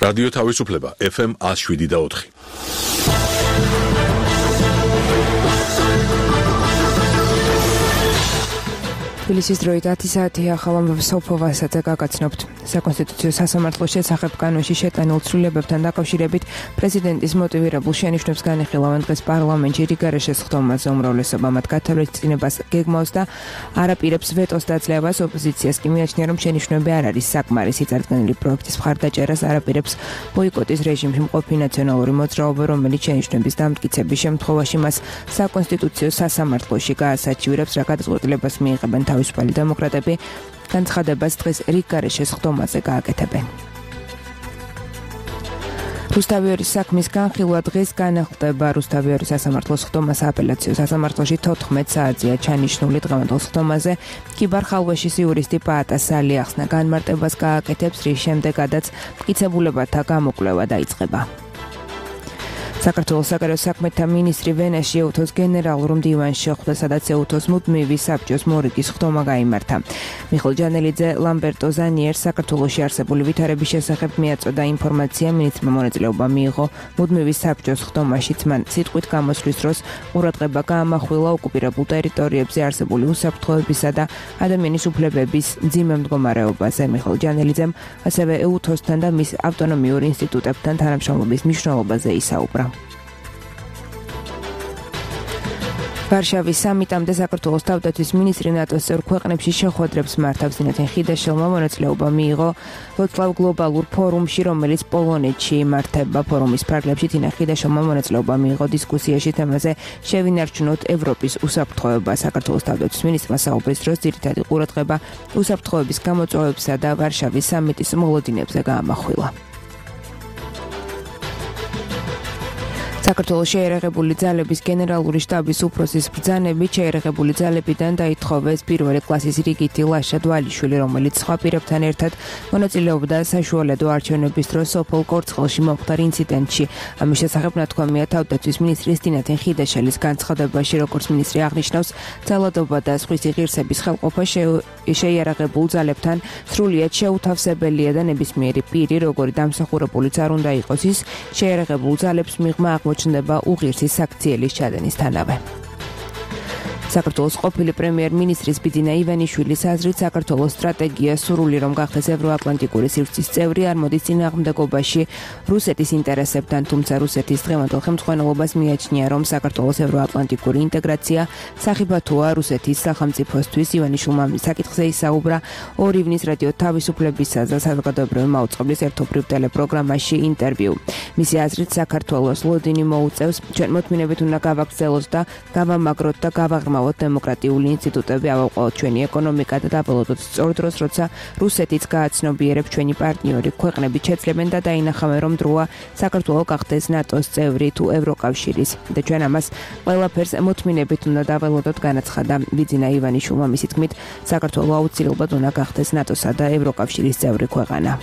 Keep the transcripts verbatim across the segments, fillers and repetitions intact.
რადიო თავისუფლება ეფ ემ one oh seven და four. თბილისის დროით ათი საათი ახალ სოფოვასაც გაგაცნობთ. საკონსტიტუციო სასამართლოს შესახებ კანონში შეტანილ ცვლილებებთან დაკავშირებით პრეზიდენტის მოტივირებულ შენიშვნებს განიხილავენ დღეს პარლამენტში რიგარე შესხდომაზე უმრავლესობა მათ გათვალისწინებას გეგმავს და არაპირებს ვეტოს დაძლევას. ოპოზიციას კი მიაჩნია, რომ შენიშვნები არ არის საკმარისი. წარდგენილი პროექტის მხარდაჭერას არაპირებს ბოიკოტის რეჟიმში მყოფი ნაციონალური მოძრაობა, რომელიც შენიშვნების დამტკიცების შემთხვევაში მას საკონსტიტუციო სასამართლოში გაასაჩივრებს, რა გადაწყვეტილებას მიიღებენ თავისუფალი დემოკრატები. განცხადებას დღეს რიგარე შესხდომაზე გააკეთებენ. რუსთავიორის საქმის განხილვა დღეს განახლდება. რუსთავიორის სასამართლოს ხდომა სააპელაციო სასამართლოში თოთხმეტ საათზეა ჩანიშნული. დღევანდელ ხდომაზე კიბარ ხალვეშის იურისტი პაატა სალი ახსნა განმარტებას გააკეთებს, რის შემდეგაც მტკიცებულებათა გამოკვლევა დაიწყება. საქართველოს საგარეო საქმეთა მინისტრი ვენაში ეუთოს გენერალურ მდივანში შეხვდა, სადაც ეუთოს მუდმივი საბჭოს მორიგის ხდომა გაიმართა. მიხეილ ჯანელიძე ლამბერტო ზანიერს საქართველოში არსებული ვითარების შესახებ მიაწოდა ინფორმაცია. მინისტრმა მონაწილეობა მიიღო მუდმივი საბჭოს ხდომაშიც. მან სიტყვით გამოსვლის დროს ყურადღება გაამახვილა ოკუპირებულ ტერიტორიებზე არსებული უსაფრთხოებისა და ადამიანის უფლებების მძიმე მდგომარეობაზე. მიხეილ ჯანელიძემ ასევე ეუთოსთან და მის ავტონომიურ ინსტიტუტებთან თანამშრომლობის მნიშვნელობაზე ისაუბრა. ვარშავის სამიტამდე საქართველოს თავდაცვის მინისტრი ნატოს წევრ ქვეყნებში შეხვედრებს მართავს. დინათენ ხიდაშელმა მონაწილეობა მიიღო ვროცლავ გლობალურ ფორუმში, რომელიც პოლონეთში იმართება. ფორუმის ფარგლებში დინათენ ხიდაშელმა მონაწილეობა მიიღო დისკუსიაში თემაზე შევინარჩუნოთ ევროპის უსაფრთხოება. საქართველოს თავდაცვის მინისტრმა საუბრის დროს ძირითადი ყურადღება უსაფრთხოების გამოწვევებსა და ვარშავის სამიტის მოლოდინებზე გაამახვილა. საქართველოს შეერაღებული ძალების გენერალური შტაბის უფროსის ბრძანებით შეერაღებული ძალებიდან დაითხოვეს პირველი კლასის რიგითი ლაშა დვალიშვილი, რომელიც სხვა პირებთან ერთად მონაწილეობდა საშუალედო არჩევნების დროს სოფელ კორცხელში მომხდარ ინციდენტში. ამის შესახებ ნათქვამია თავდაცვის მინისტრის დინათენ ხიდაშელის განცხადებაში. როგორც მინისტრი აღნიშნავს, ძალადობა და სხვისი ღირსების ხელყოფა შეიარაღებულ ძალებთან სრულიად შეუთავსებელია და ნებისმიერი პირი, როგორი დამსახურებულიც არ უნდა იყოს, ის შეიარაღებულ ძალებს მიღმა ჩნდება უღირსი საქციელის ჩადენისთანავე. საქართველოს ყოფილი პრემიერ-მინისტრის ბიძინა ივანიშვილის აზრით, საქართველოს სტრატეგია სურვილი რომ გახდეს ევროატლანტიკური სივრცის წევრი არ მოდის წინააღმდეგობაში რუსეთის ინტერესებთან, თუმცა რუსეთის დღევანდელ ხელმძღვანელობას მიაჩნია, რომ საქართველოს ევროატლანტიკური ინტეგრაცია სახიფათოა რუსეთის სახელმწიფოსთვის. ივანიშვილმა ამ საკითხზე ისაუბრა ორ ივნის რადიო თავისუფლებისა და საზოგადოებრივი მაუწყებლის ერთობრივ ტელეპროგრამაში ინტერვიუ. მისი აზრით, საქართველოს ლოდინი მოუწევს ჩვენ მოთმინებით უნდა გავაგრძელოთ და გავამაგროთ და გავაღრმავოთ დემოკრატიული ინსტიტუტები, ავაყოთ ჩვენი ეკონომიკა და დაველოდოთ სწორ დროს, როცა რუსეთიც გააცნობიერებს ჩვენი პარტნიორი ქვეყნები შეძლებენ და დაინახავენ, რომ დროა საქართველო გახდეს ნატოს წევრი თუ ევროკავშირის და ჩვენ ამას ყველაფერს მოთმინებით უნდა დაველოდოთ, განაცხადა ბიძინა ივანიშვილმა. მისი თქმით, საქართველო აუცილებლად უნდა გახდეს ნატოსა და ევროკავშირის წევრი ქვეყანა.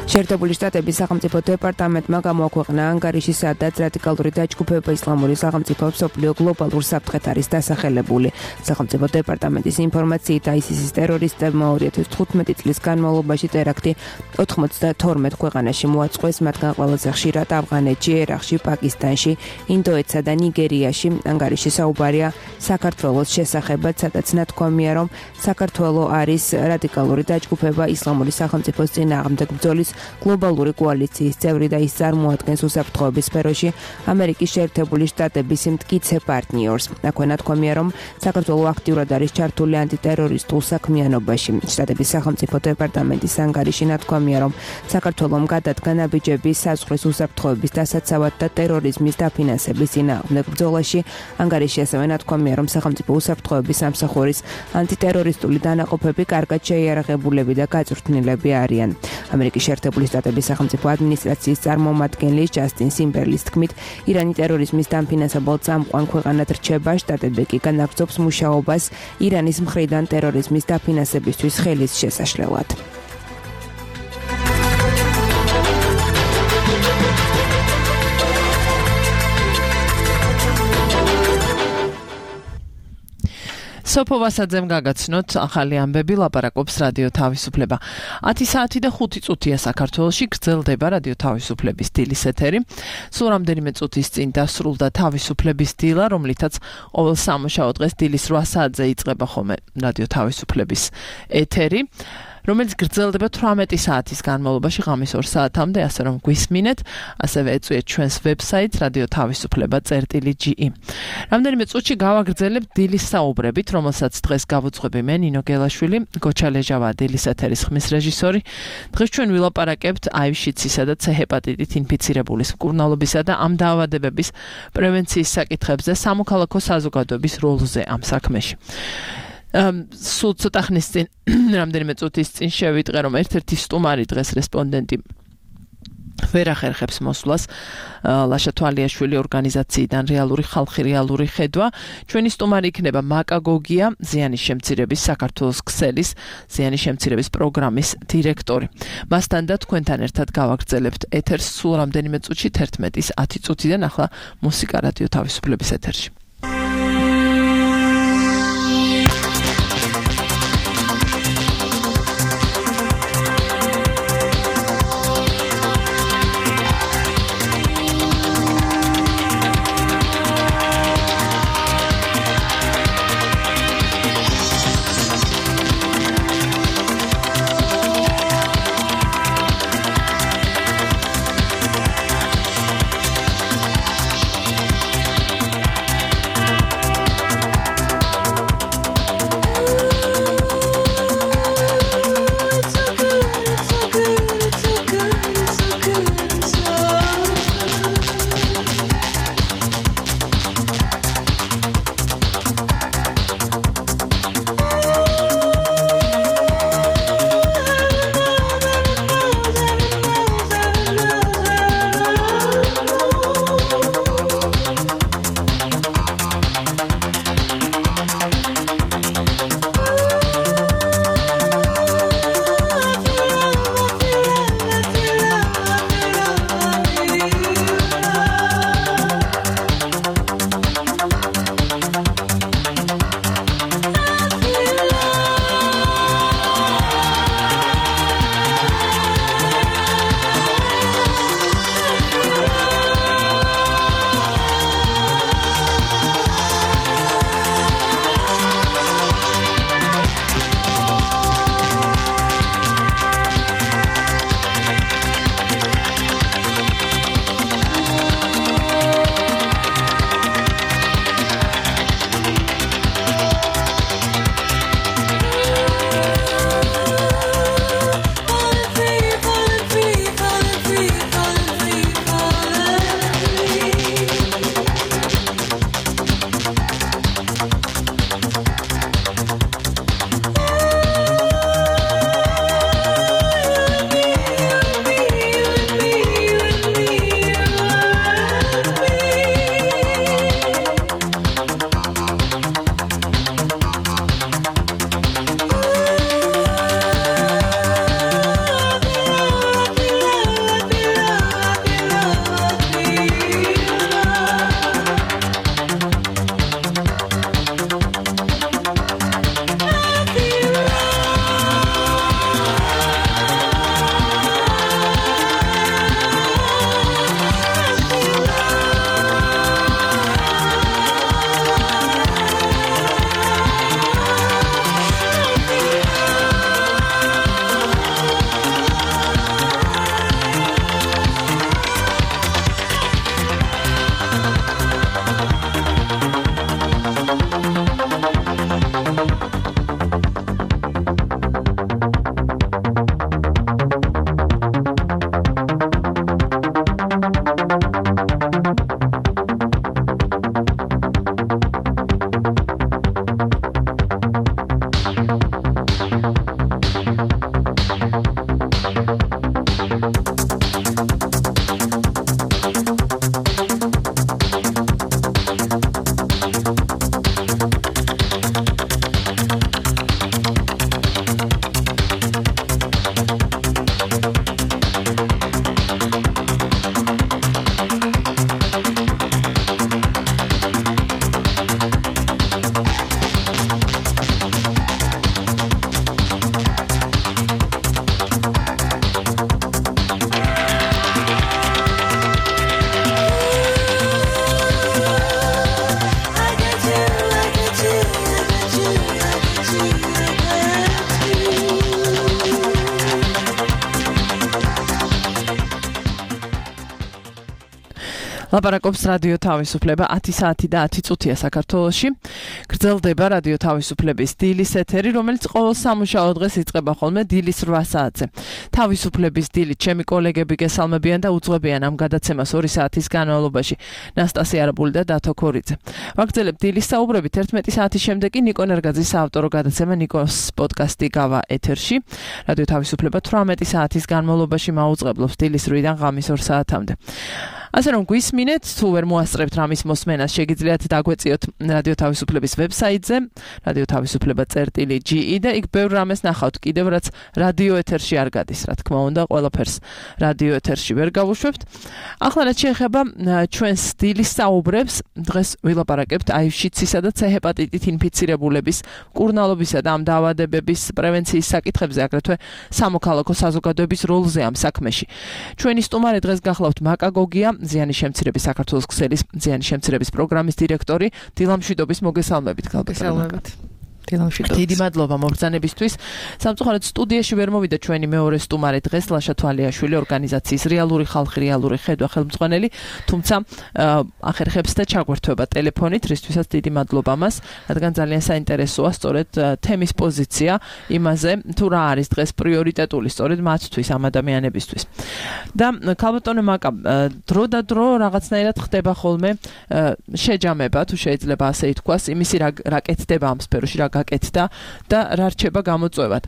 შეერთებული შტატების სახელმწიფო დეპარტამენტმა გამოაქვეყნა ანგარიში, სადაც რადიკალური დაჯგუფება ისლამური სახელმწიფო მსოფლიო გლობალურ საფრთხეთ არის დასახელებული. სახელმწიფო დეპარტამენტის ინფორმაციით აისისის ტერორისტებმა ორი ათას თხუთმეტი წლის განმავლობაში ტერაქტი ოცდათორმეტ ქვეყანაში მოაწყვეს, მათგან ყველაზე ხშირად ავღანეთში, ერაყში, პაკისტანში, ინდოეთსა და ნიგერიაში. ანგარიში საუბარია საქართველოს შესახებაც, სადაც ნათქვამია, რომ საქართველო არის რადიკალური დაჯგუფება ისლამური სახელმწიფოს წინააღმდეგ ბრძოლის გლობალური კოალიციის წევრი და ის წარმოადგენს უსაფრთხოების სფეროში ამერიკის შეერთებული შტატების მტკიცე პარტნიორს. აქვე ნათქვამია, რომ საქართველო აქტიურად არის ჩართული ანტიტერორისტულ საქმიანობაში. შტატების სახელმწიფო დეპარტამენტის ანგარიში ნათქვამია, რომ საქართველომ გადადგა ნაბიჯები საზღვრის უსაფრთხოების დასაცავად და ტერორიზმის დაფინანსების წინააღმდეგ ბრძოლაში. ანგარიში ასევე ნათქვამია, რომ სახელმწიფო უსაფრთხოების სამსახურის ანტიტერორისტული დანაყოფები კარგად შეიარაღებულები და გაწვრთნილები არიან. ამერიკის შეერთებული შტატების სახელმწიფო ადმინისტრაციის წარმომადგენელი ჯასტინ სიმბერლის თქმით, ირანი ტერორიზმის დამფინანსებელ წამყვან ქვეყანად რჩება, შტატები კი განაგრძობს მუშაობას ირანის მხრიდან ტერორიზმის დაფინანსებისთვის ხელის შესაშლელად. სოფო ვასაძემ გაგაცნოთ ახალი ამბები, ლაპარაკობს რადიო თავისუფლება. ათი საათი და ხუთი წუთია საქართველოში, გრძელდება რადიო თავისუფლების დილის ეთერი. სულ რამდენიმე წუთის წინ დასრულდა თავისუფლების დილა, რომლითაც ყოველ სამუშაო დღეს დილის რვა საათზე იწყება ხოლმე რადიო თავისუფლების ეთერი, რომელიც გრძელდება თვრამეტი საათის განმავლობაში ღამის ორ საათამდე, ასე რომ გვისმინეთ, ასევე ეწვიეთ ჩვენს ვებსაიტს რადიო თავისუფლება წერტილი ჯი ი. რამდენიმე წუთში გავაგრძელებთ დილის საუბრებით, რომელსაც დღეს გავუძღვები მე, ნინო გელაშვილი, გოჩა ლეჟავა დილის ეთერის ხმის რეჟისორი. დღეს ჩვენ ვილაპარაკებთ აივ-შიცისა და ცე ჰეპატიტით ინფიცირებულის მკურნალობისა და ამ დაავადებების პრევენციის საკითხებზე სამოქალაქო საზოგადოების როლზე ამ საქმეში. სულ ცოტა ხნის წინ, რამდენიმე წუთის წინ შევიტყე, რომ ერთ-ერთი სტუმარი დღეს რესპონდენტი ვერ ახერხებს მოსვლას ლაშა თვალიაშვილი ორგანიზაციიდან რეალური ხალხი რეალური ხედვა. ჩვენი სტუმარი იქნება მაკაგოგია, ზიანის შემცირების საქართველოს ქსელის ზიანის შემცირების პროგრამის დირექტორი. მასთან და თქვენთან ერთად გავაგრძელებთ ეთერს სულ რამდენიმე წუთში თერთმეტის ათი წუთიდან ახლა მუსიკა რადიო თავისუფლების ეთერში. ლაპარაკობს რადიო თავისუფლება ათი საათი და ათი წუთია საქართველოში. გრძელდება რადიო თავისუფლების დილის ეთერი, რომელიც ყოველ სამუშაო დღეს იწყება ხოლმე დილის რვა საათზე. თავისუფლების დილით ჩემი კოლეგები გესალმებიან და უძღვებიან ამ გადაცემას ორი საათის განმავლობაში. ნასტასია არაბული და დათო ქორიძე. ვაგრძელებ დილის საუბრებით ერთმეტი საათის შემდეგ კი ნიკო ნერგაძის საავტორო გადაცემა ნიკოს პოდკასტი გავა ეთერში. რადიო თავისუფლება თვრამეტი საათის განმავლობაში მაუწყებლობს დილის რვიდან ღამის ორ საათამდე. ასე რომ გვისმინეთ, თუ ვერ მოასწრებთ რამის მოსმენას, შეგიძლიათ დაგვეწიოთ რადიო თავისუფლების ვებსაიტზე, რადიო თავისუფლება წერტილი ჯი ი და იქ ბევრ რამეს ნახავთ, კიდევ რაც რადიო ეთერში არ გადის, რა თქმა უნდა, ყველაფერს რადიო ეთერში ვერ გავუშვებთ. ახლა რაც შეეხება ჩვენს დილის საუბრებს, დღეს ვილაპარაკებთ აივ-შიცისა და ცე ჰეპატიტით ინფიცირებულების, მკურნალობისა და ამ დაავადებების პრევენციის საკითხებზე, აგრეთვე სამოქალაქო საზოგადოების როლზე ამ საქმეში. ჩვენი სტუმარი დღეს გახლავთ მაკა გოგია, ზიანის შემცირების საქართველოს ქსელის ზიანის შემცირების პროგრამის დირექტორი. დილამშვიდობის მოგესალმებით, გალბატონო. დიდი მადლობა მობრძანებისთვის. სამწუხაროდ სტუდიაში ვერ მოვიდა ჩვენი მეორე სტუმარი დღეს, ლაშა თვალიაშვილი, ორგანიზაციის რეალური ხალხი, რეალური ხედვა ხელმძღვანელი, თუმცა ახერხებს და ჩაგვერთვება ტელეფონით, რისთვისაც დიდი მადლობა მას, რადგან ძალიან საინტერესოა სწორედ თემის პოზიცია იმაზე, თუ რა არის დღეს პრიორიტეტული სწორედ მათთვის, ამ ადამიანებისთვის. და გალბატონო მაკა, დრო და დრო რაღაცნაირად ხდება ხოლმე შეჯამება, თუ შეიძლება ასე ითქვას, იმისი რა კეთდება ამ სფეროში, რა გაკეთდა და რა რჩება გამოწვევად.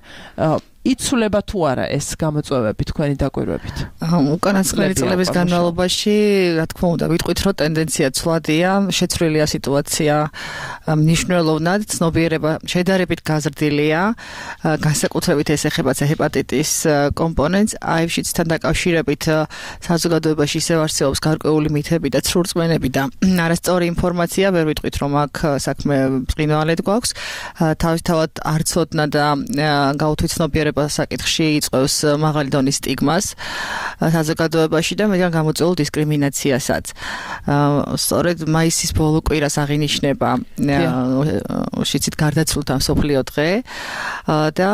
იცვლება თუ არა ეს გამოწვევები თქვენი დაკვირვებით? უკანასკნელი წლების განმავლობაში, რა თქმა უნდა, ვიტყვით, რომ ტენდენცია ცვლადია, შეცვლილია სიტუაცია მნიშვნელოვნად, ცნობიერება შედარებით გაზრდილია, განსაკუთრებით ეს ეხება ცე ჰეპატიტის კომპონენტს, აივ-შიცთან დაკავშირებით საზოგადოებაში ისევ არსებობს გარკვეული მითები და ცრურწმენები და არასწორი ინფორმაცია, ვერ ვიტყვით, რომ აქ საქმე ბრწყინვალედ გვაქვს, თავისთავად არ ცოდნა და გაუთვითცნობიერება საკითხში იწვევს მაღალი დონის სტიგმას საზოგადოებაში და მეტად გამოწვეულ დისკრიმინაციასაც. სწორედ მაისის ბოლო კვირას აღინიშნება შიცით გარდაცვლილთა მსოფლიო დღე და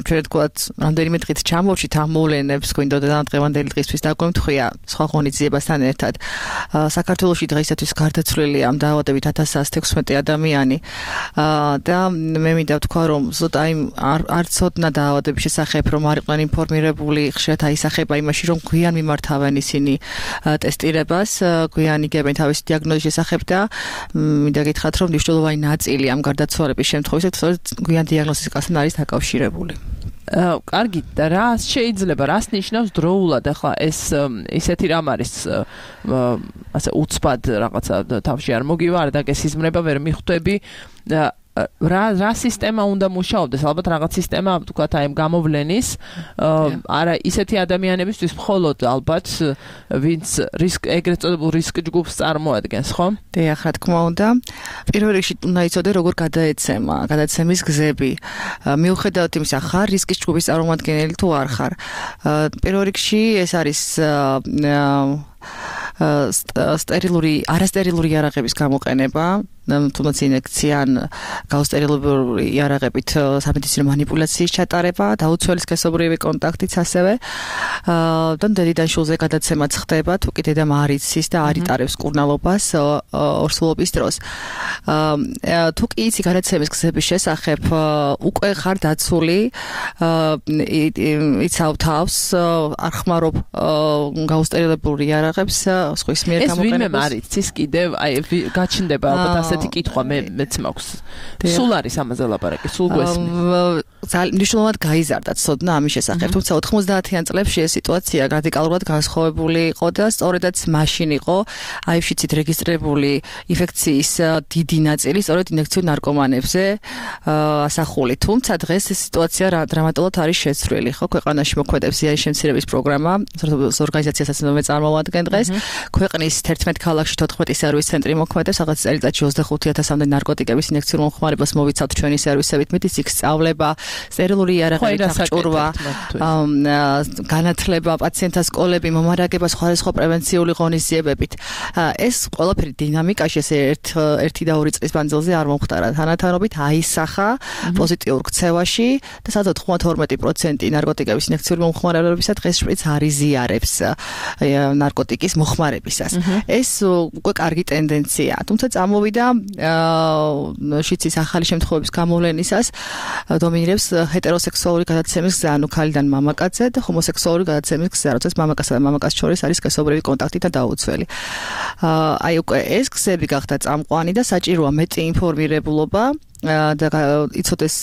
ჩვენ ვთქვათ, რამდენიმე დღით ჩამოვშით ამ მოვლენებს, გვინდოდა დღევანდელი დღისთვის დაგვემთხვია სხვა ღონისძიებასთან ერთად. საქართველოში დღეისათვის გარდაცვლილი ამ დაავადებით ათას ასი თექვსმეტი ადამიანი და მე მინდა ვთქვა, რომ ზუსტ აი არ ცოდნა დაავადების შესახებ, რომ არ იყვნენ ინფორმირებული, ხშირად აისახება იმაში, რომ გვიან მიმართავენ ისინი ტესტირებას, გვიან იგებენ თავისი დიაგნოზის შესახებ და მინდა გითხრათ, რომ მნიშვნელოვანი ნაწილი ამ გარდაცვალების შემთხვევაში სწორედ გვიან დიაგნოსტიკასთან არის დაკავშირებული. კარგი, და რა შეიძლება, რას ნიშნავს დროულად ახლა ეს ისეთი რამ არის ასე უცბად რაღაცა თავში არ მოგივა, არ დაგესიზმრება, ვერ მიხვდები რა რა სისტემა უნდა მუშაობდეს, ალბათ რაღაც სისტემა ვთქვათ აი გამოვლენის, არა ისეთი ადამიანებისთვის მხოლოდ ალბათ ვინც რისკ ეგრეთ წოდებულ რისკ ჯგუფს წარმოადგენს, ხო? დიახ, რა თქმა უნდა. პირველ რიგში უნდა იცოდე როგორ გადაეცემა, გადაცემის გზები. მიუხედავად იმისა, ხარ რისკის ჯგუფის წარმომადგენელი თუ არ ხარ. პირველ რიგში ეს არის სტერილური, არასტერილური იარაღების გამოყენება, თუნდაც ინექცია ან გაუსტერილებული იარაღებით სამედიცინო მანიპულაციის ჩატარება, დაუცველი სქესობრივი კონტაქტიც ასევე. და დედიდან შულზე გადაცემაც ხდება, თუ კი დედამ არ იცის და არ იტარებს მკურნალობას ორსულობის დროს. თუ კი იცი გადაცემის გზების შესახებ, უკვე ხარ დაცული, იცავ თავს, არ ხმარობ გაუსტერილებული იარაღებს სხვის მიერ გამოყენებას. ეს ვინმე არ იცის კიდევ, აი გაჩნდება ალბათ ასეთი კითხვა მე მეც მაქვს. სულ არის ამაზე ლაპარაკი, სულ გვესმის. მნიშვნელოვნად გაიზარდა ცოდნა ამის შესახებ, თუმცა ოთხმოცდაათიან წლებში ეს სიტუაცია რადიკალურად განსხვავებული იყო და სწორედაც მაშინ იყო აივ-შიცით რეგისტრირებული ინფექციის დიდი ნაწილი სწორედ ინექციურ ნარკომანებზე ასახული. თუმცა დღეს ეს სიტუაცია დრამატულად არის შეცვლილი, ხო, ქვეყანაში მოქმედებს ზიანის შემცირების პროგრამა, ორგანიზაციასაც მე წარმოვადგენ დღეს. ქვეყნის თერთმეტ ქალაქში თოთხმეტი სერვის ცენტრი მოქმედებს, რაღაც წელიწადში ოცდახუთი ათასამდე ნარკოტიკების ინექციურ მომხმარებას მოვიცავთ ჩვენი სერვისებით, მითის იქ სწავლება, სტერილური იარაღებით აღჭურვა, განათლება, პაციენტთა სკოლები, მომარაგება სხვადასხვა პრევენციული ღონისძიებებით. ეს ყველაფერი დინამიკაში ესე ერთ ერთი და ორი წლის მანძილზე არ მომხდარა. თანათანობით აისახა პოზიტიურ ქცევაში და სადაც თხმათორმეტი პროცენტი ნარკოტიკების ინექციური მომხმარებლებისა დღეს შპრიც არ იზიარებს ნარკოტიკის მოხმარებისას. ეს უკვე კარგი ტენდენციაა. თუმცა წამოვიდა შიცის ახალი შემთხვევების გამოვლენისას დომინირებს ჰეტეროსექსუალური გადაცემის გზა, ანუ ქალიდან მამაკაცზე და ჰომოსექსუალური გადაცემის გზა, როდესაც მამაკაცსა და მამაკაცს შორის არის სქესობრივი კონტაქტი და დაუცველი. აი უკვე ეს გზები გახდა წამყვანი და საჭიროა მეტი ინფორმირებულობა და იცოდეს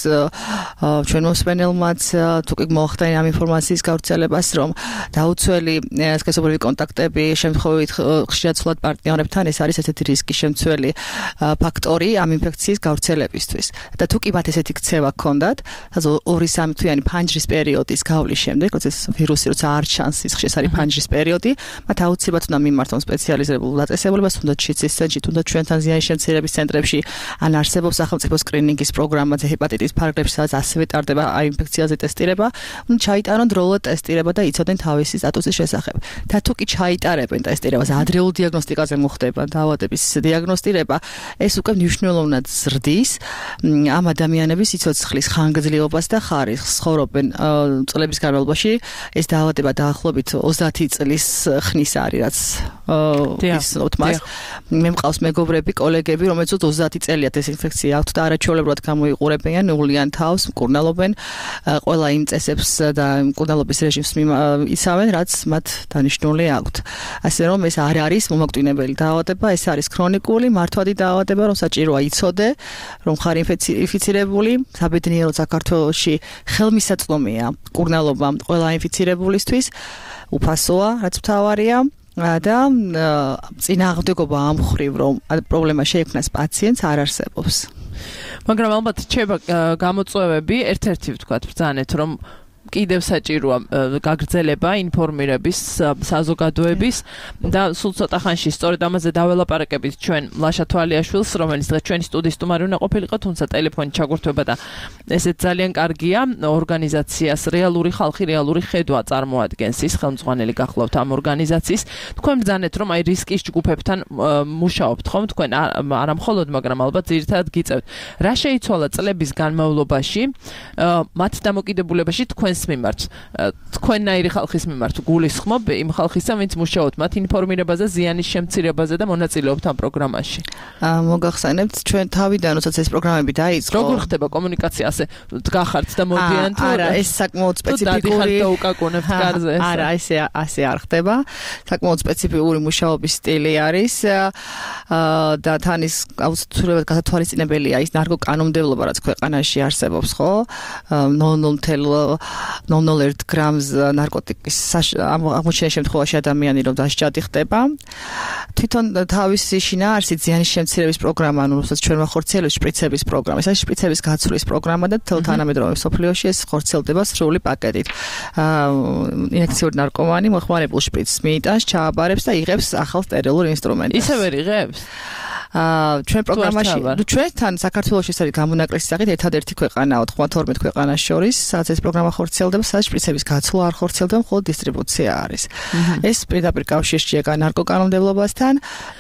ჩვენ მოსმენელმაც თუ კი მოახდინა ამ ინფორმაციის გავრცელებას, რომ დაუცველი სქესობრივი კონტაქტები შემთხვევით ხშირად სულად პარტნიორებთან ეს არის ესეთი რისკი შემცველი ფაქტორი ამ ინფექციის გავრცელებისთვის. და თუ კი მათ ესეთი ქცევა ჰქონდათ, ორი სამი თვიანი ფანჯრის პერიოდის გავლის შემდეგ, როდესაც ვირუსი როცა არ ჩანს, ის ხშირად არის ფანჯრის პერიოდი, მათ აუცილებლად უნდა მიმართონ სპეციალიზებულ დაწესებულებას, თუნდაც შიცის ცენტრში, თუნდაც ჩვენთან ზიანის შემცირების ცენტრებში, ან არსებობს სახელმწიფო სკრინინგის პროგრამაზე ჰეპატიტის ფარგლებში, სადაც ასევე ტარდება აი ინფექციაზე ტესტირება, უნდა ჩაიტარონ დროულად ტესტირება და იცოდნენ თავისი სტატუსის შესახებ. და თუ კი ჩაიტარებენ ტესტირებას, ადრეულ დიაგნოსტიკაზე მოხდება დაავადების დიაგნოსტირება, ეს უკვე მნიშვნელოვნად ზრდის ამ ადამიანების სიცოცხლის ხანგრძლივობას და ხარისხს. ცხოვრობენ წლების განმავლობაში, ეს დაავადება დაახლოებით ოცდაათი წლის ხნის არის, რაც ისნოთ მას. მე მყავს მეგობრები, კოლეგები, რომელიც ოცდაათი წელიათ ეს ინფექცია აქვთ და არაჩვეულებრივად გამოიყურებიან, ნეულიან თავს, მკურნალობენ, ყველა იმ წესებს და მკურნალობის რეჟიმს იცავენ, რაც მათ დანიშნული აქვთ. ასე რომ ეს არ არის მომაკვდინებელი დაავადება, ეს არის ქრონიკული მართვადი დაავადება, რომ საჭიროა იცოდე, რომ ხარ ინფიცირებული, საბედნიეროდ საქართველოში ხელმისაწვდომია მკურნალობა ყველა ინფიცირებულისთვის, უფასოა, რაც მთავარია. და წინააღმდეგობა ამ მხრივ, რომ პრობლემა შეექმნას პაციენტს არ არსებობს. მაგრამ ალბათ რჩება გამოწვევები, ერთ-ერთი ვთქვათ ბრძანეთ, რომ კიდევ საჭიროა გაგრძელება ინფორმირების საზოგადოების და სულ ცოტა ხანში სწორედ ამაზე დაველაპარაკებით ჩვენ ლაშა თვალიაშვილს, რომელიც დღეს ჩვენი სტუდიის სტუმარი უნდა ყოფილიყო, თუმცა ტელეფონით ჩაგურთვება და ესეც ძალიან კარგია. ორგანიზაციას რეალური ხალხი, რეალური ხედვა წარმოადგენს ის, ხელმძღვანელი გახლავთ ამ ორგანიზაციის. თქვენ ბრძანეთ, რომ აი რისკის ჯგუფებთან მუშაობთ ხომ? თქვენ არა მხოლოდ, მაგრამ ალბათ ძირითადად გიწევთ. რა შეიცვალა წლების განმავლობაში მათ დამოკიდებულებაში თქვენს მიმართ, თქვენნაირი ხალხის მიმართ გულისხმობ იმ ხალხისა, ვინც მუშაობთ მათ ინფორმირებაზე, ზიანის შემცირებაზე და მონაწილეობთ ამ პროგრამაში. მოგახსენებთ, ჩვენ თავიდან როდესაც ეს პროგრამები დაიწყო, როგორ ხდება კომუნიკაცია, ასე დგახართ და მოდიან თუ არა, ეს საკმაოდ სპეციფიკური და უკაკუნებთ კარზე. არა, ესე ასე არ ხდება. საკმაოდ სპეციფიკური მუშაობის სტილი არის და თან ის აუცილებლად გათვალისწინებელია ის ნარკოკანონმდებლობა, რაც ქვეყანაში არსებობს, ხო? ნულ ნულ ნულ ერთ გრამს ნარკოტიკის აღმოჩენის შემთხვევაში ადამიანი რომ დასჯადი ხდება. თვითონ თავისი შინაარსით ზიანის შემცირების პროგრამა, ანუ როდესაც ჩვენ ვახორციელებთ შპრიცების პროგრამა, ეს არის შპრიცების გაცვლის პროგრამა და თანამედროვე სოფლიოში ეს ხორციელდება სრული პაკეტით. ინექციური ნარკომანი მოხმარებულ შპრიცს მიიტანს, ჩააბარებს და იღებს ახალ სტერილურ ინსტრუმენტს. ისევე იღებს? ჩვენ პროგრამაში, ჩვენთან საქართველოში ეს არის გამონაკლისი სახით ერთადერთი ქვეყანაა თხმათორმეტ ქვეყანას შორის, სადაც ეს პროგრამა ხორციელდება, სადაც შპრიცების გაცვლა არ ხორციელდება, მხოლოდ დისტრიბუცია არის. ეს პირდაპირ კავშირშია ნარკოკანონმდებლობასთან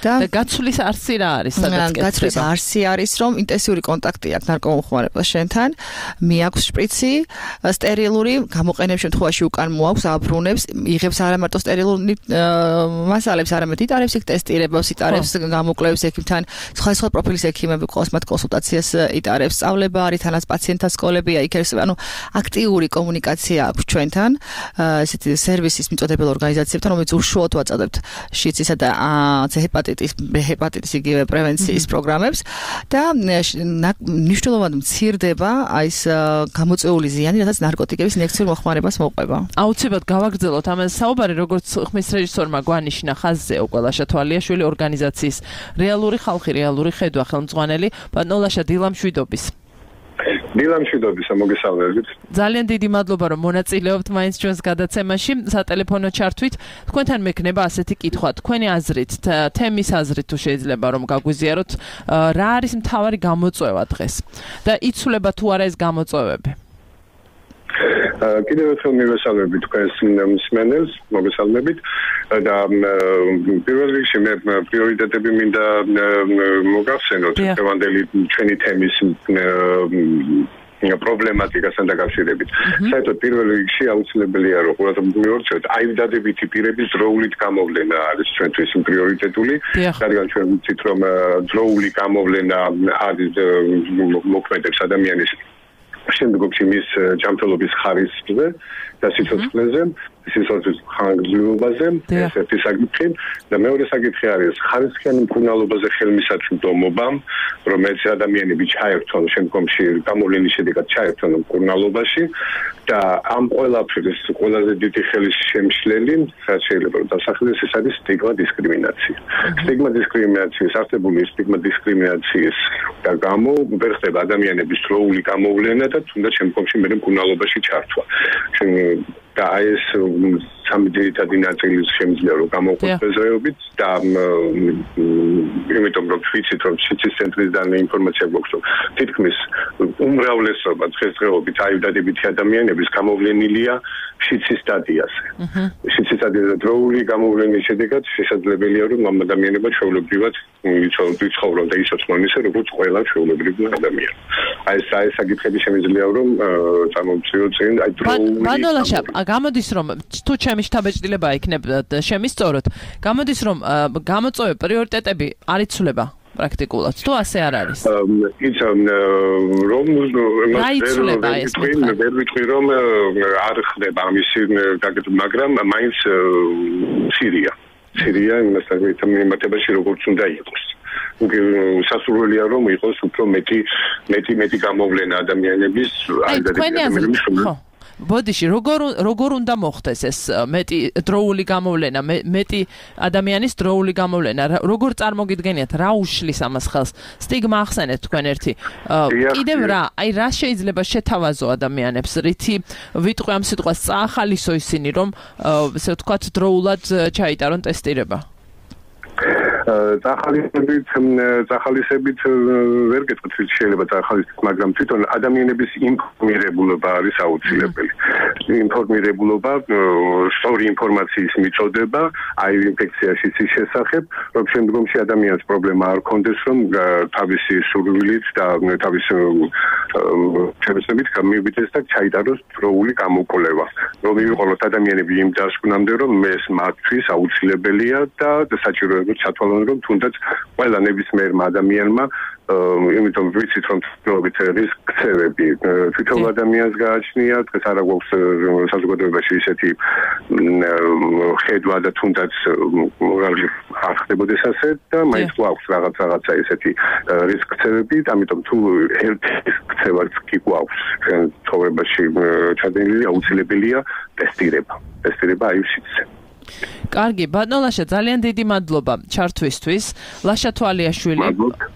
და გაცვლის არსი რა არის, სადაც კეთდება? გაცვლის არსი არის, რომ ინტენსიური კონტაქტი აქვს ნარკომომხმარებელს შენთან, მიაქვს შპრიცი, სტერილური, გამოყენების შემთხვევაში უკან მოაქვს, აბრუნებს, იღებს არა მარტო სტერილური მასალებს, არამედ იტარებს იქ ტესტირებას, იტარებს გამოკვლევებს ექიმთან სხვა-სხვა პროფილის ექიმები ყავს, მათ კონსულტაციას იტარებს, სწავლება არის, თანაც პაციენტთა სკოლებია, იქ არის, ანუ აქტიური კომუნიკაცია აქვს ჩვენთან, ესეთი სერვისის მიწოდებელ ორგანიზაციებთან, რომელიც უშუალოდ ვაწევთ შიცისა და C ჰეპატიტის, B ჰეპატიტის იგივე პრევენციის პროგრამებს და მნიშვნელოვნად მცირდება აი ეს გამოწვეული ზიანი, რაც ნარკოტიკების ინექციურ მოხმარებას მოყვება. აუცილებლად გავაგრძელოთ ამაზე საუბარი, როგორც ხმის რეჟისორმა გვანიშნა ხაზზე უკვე ლაშა თვალიაშვილი ორგანიზაციის რეალური ხალხი, რეალური ხედვა ხელმძღვანელი ბატონ ლაშა დილამშვიდობის. დილამშვიდობისა, მოგესალმებით. ძალიან დიდი მადლობა, რომ მონაწილეობთ მაინც ჩვენს გადაცემაში, სატელეფონო ჩართვით. თქვენთან მექნება ასეთი კითხვა, თქვენი აზრით, თემის აზრით თუ შეიძლება რომ გაგვიზიაროთ, რა არის მთავარი გამოწვევა დღეს და იცვლება თუ არა ეს გამოწვევები? კიდევ ერთხელ მივესალმებით თქვენს მსმენელს, მოგესალმებით და პირველ რიგში მე პრიორიტეტები მინდა მოგახსენოთ დღევანდელი ჩვენი თემის პრობლემატიკასთან დაკავშირებით. საერთოდ პირველ რიგში აუცილებელია რომ ყურადღება მივორჩოთ აივდადებითი პირების დროულით გამოვლენა არის ჩვენთვის პრიორიტეტული. რადგან ჩვენ ვიცით რომ დროული გამოვლენა არის მოქმედებს ადამიანის შემდგომში მის ჯანმრთელობის ხარისხზე და სიცოცხლეზე, სიცოცხლის ხანგრძლივობაზე, ეს ერთი საკითხი და მეორე საკითხი არის ხარისხიანი მკურნალობაზე ხელმისაწვდომობა, რომელიც ადამიანები ჩაერთონ შემდგომში გამოვლენის შედეგად ჩაერთონ მკურნალობაში და ამ ყველაფრის ყველაზე დიდი ხელშემშლელი, რაც შეიძლება რომ დასახელდეს, ეს არის სტიგმა დისკრიმინაცია. სტიგმა დისკრიმინაციის არსებული სტიგმა დისკრიმინაციის და გამო ვერ ხდება ადამიანების დროული გამოვლენა და თუნდაც შემდგომში მე მკურნალობაში ჩართვა. და ეს სამი ძირითადი ნაწილის შემიძლია რომ გამოყვეთ ბეზრეობით და იმიტომ რომ ვიცით რომ სიცის ცენტრიდან ინფორმაცია გვაქვს რომ თითქმის უმრავლესობა დღესდღეობით აივდადებითი ადამიანების გამოვლენილია შიცის სტადიაზე. შიცის სტადიაზე დროული გამოვლენის შედეგად შესაძლებელია რომ ამ ადამიანებმა ჩვეულებრივად იცხოვრონ და იცოცხლონ ისე როგორც ყველა ჩვეულებრივი ადამიანი. აი ეს აი საკითხები შემიძლია რომ წარმოვიდგინოთ წინ აი დროული ბანოლაშა გამოდის რომ თუ ჩემი შთაბეჭდილება იქნება შემისწოროთ გამოდის რომ გამოწვევი პრიორიტეტები არ იცვლება პრაქტიკულად თუ ასე არ არის იცი რომ ვერ ვიტყვი რომ არ ხდება ამისი გაკეთება მაგრამ მაინც სირია სირია იმასთან მიმართებაში როგორც უნდა იყოს სასურველია რომ იყოს უფრო მეტი მეტი მეტი გამოვლენა ადამიანების ადამიანების ბოდიში როგორ როგორ უნდა მოხდეს ეს მეტი დროული გამოვლენა მეტი ადამიანის დროული გამოვლენა როგორ წარმოგიდგენიათ რა უშლის ამას ხელს სტიგმა ახსენეთ თქვენ ერთი კიდევ რა აი რა შეიძლება შეთავაზო ადამიანებს რითი ვიტყვი ამ სიტყვას წაახალისო ისინი რომ ესე ვთქვათ დროულად ჩაიტარონ ტესტირება წახალისებით წახალისებით ვერ გეტყვით შეიძლება წახალისებით მაგრამ თვითონ ადამიანების ინფორმირებულობა არის აუცილებელი ინფორმირებულობა სწორი ინფორმაციის მიწოდება აი ინფექციაში ის შესახებ რომ შემდგომში ადამიანს პრობლემა არ კონდეს რომ თავისი სურვილით და თავის შემეცნებით გამივიდეს და ჩაიტაროს დროული გამოკვლევა რომ მივიყოლოთ ადამიანები იმ დასკვნამდე რომ ეს მათთვის აუცილებელია და საჭიროებად ჩათვალო რომ თუნდაც ყველა ნებისმიერმა ადამიანმა იმიტომ ვიცით რომ თვითონობით რისკცევები თვითონ ადამიანს გააჩნია დღეს არა გვაქვს საზოგადოებაში ისეთი ხედვა და თუნდაც არ ხდებოდეს ასე და მაინც გვაქვს რაღაც რაღაცა ისეთი რისკცევები ამიტომ თუ ერთ რისკცევაც კი გვაქვს ცხოვრებაში ჩადენილი აუცილებელია ტესტირება ტესტირება აივსიცზე კარგი, ბატონლაშა, ძალიან დიდი მადლობა ჩართვისთვის. ლაშა თვალიაშვილი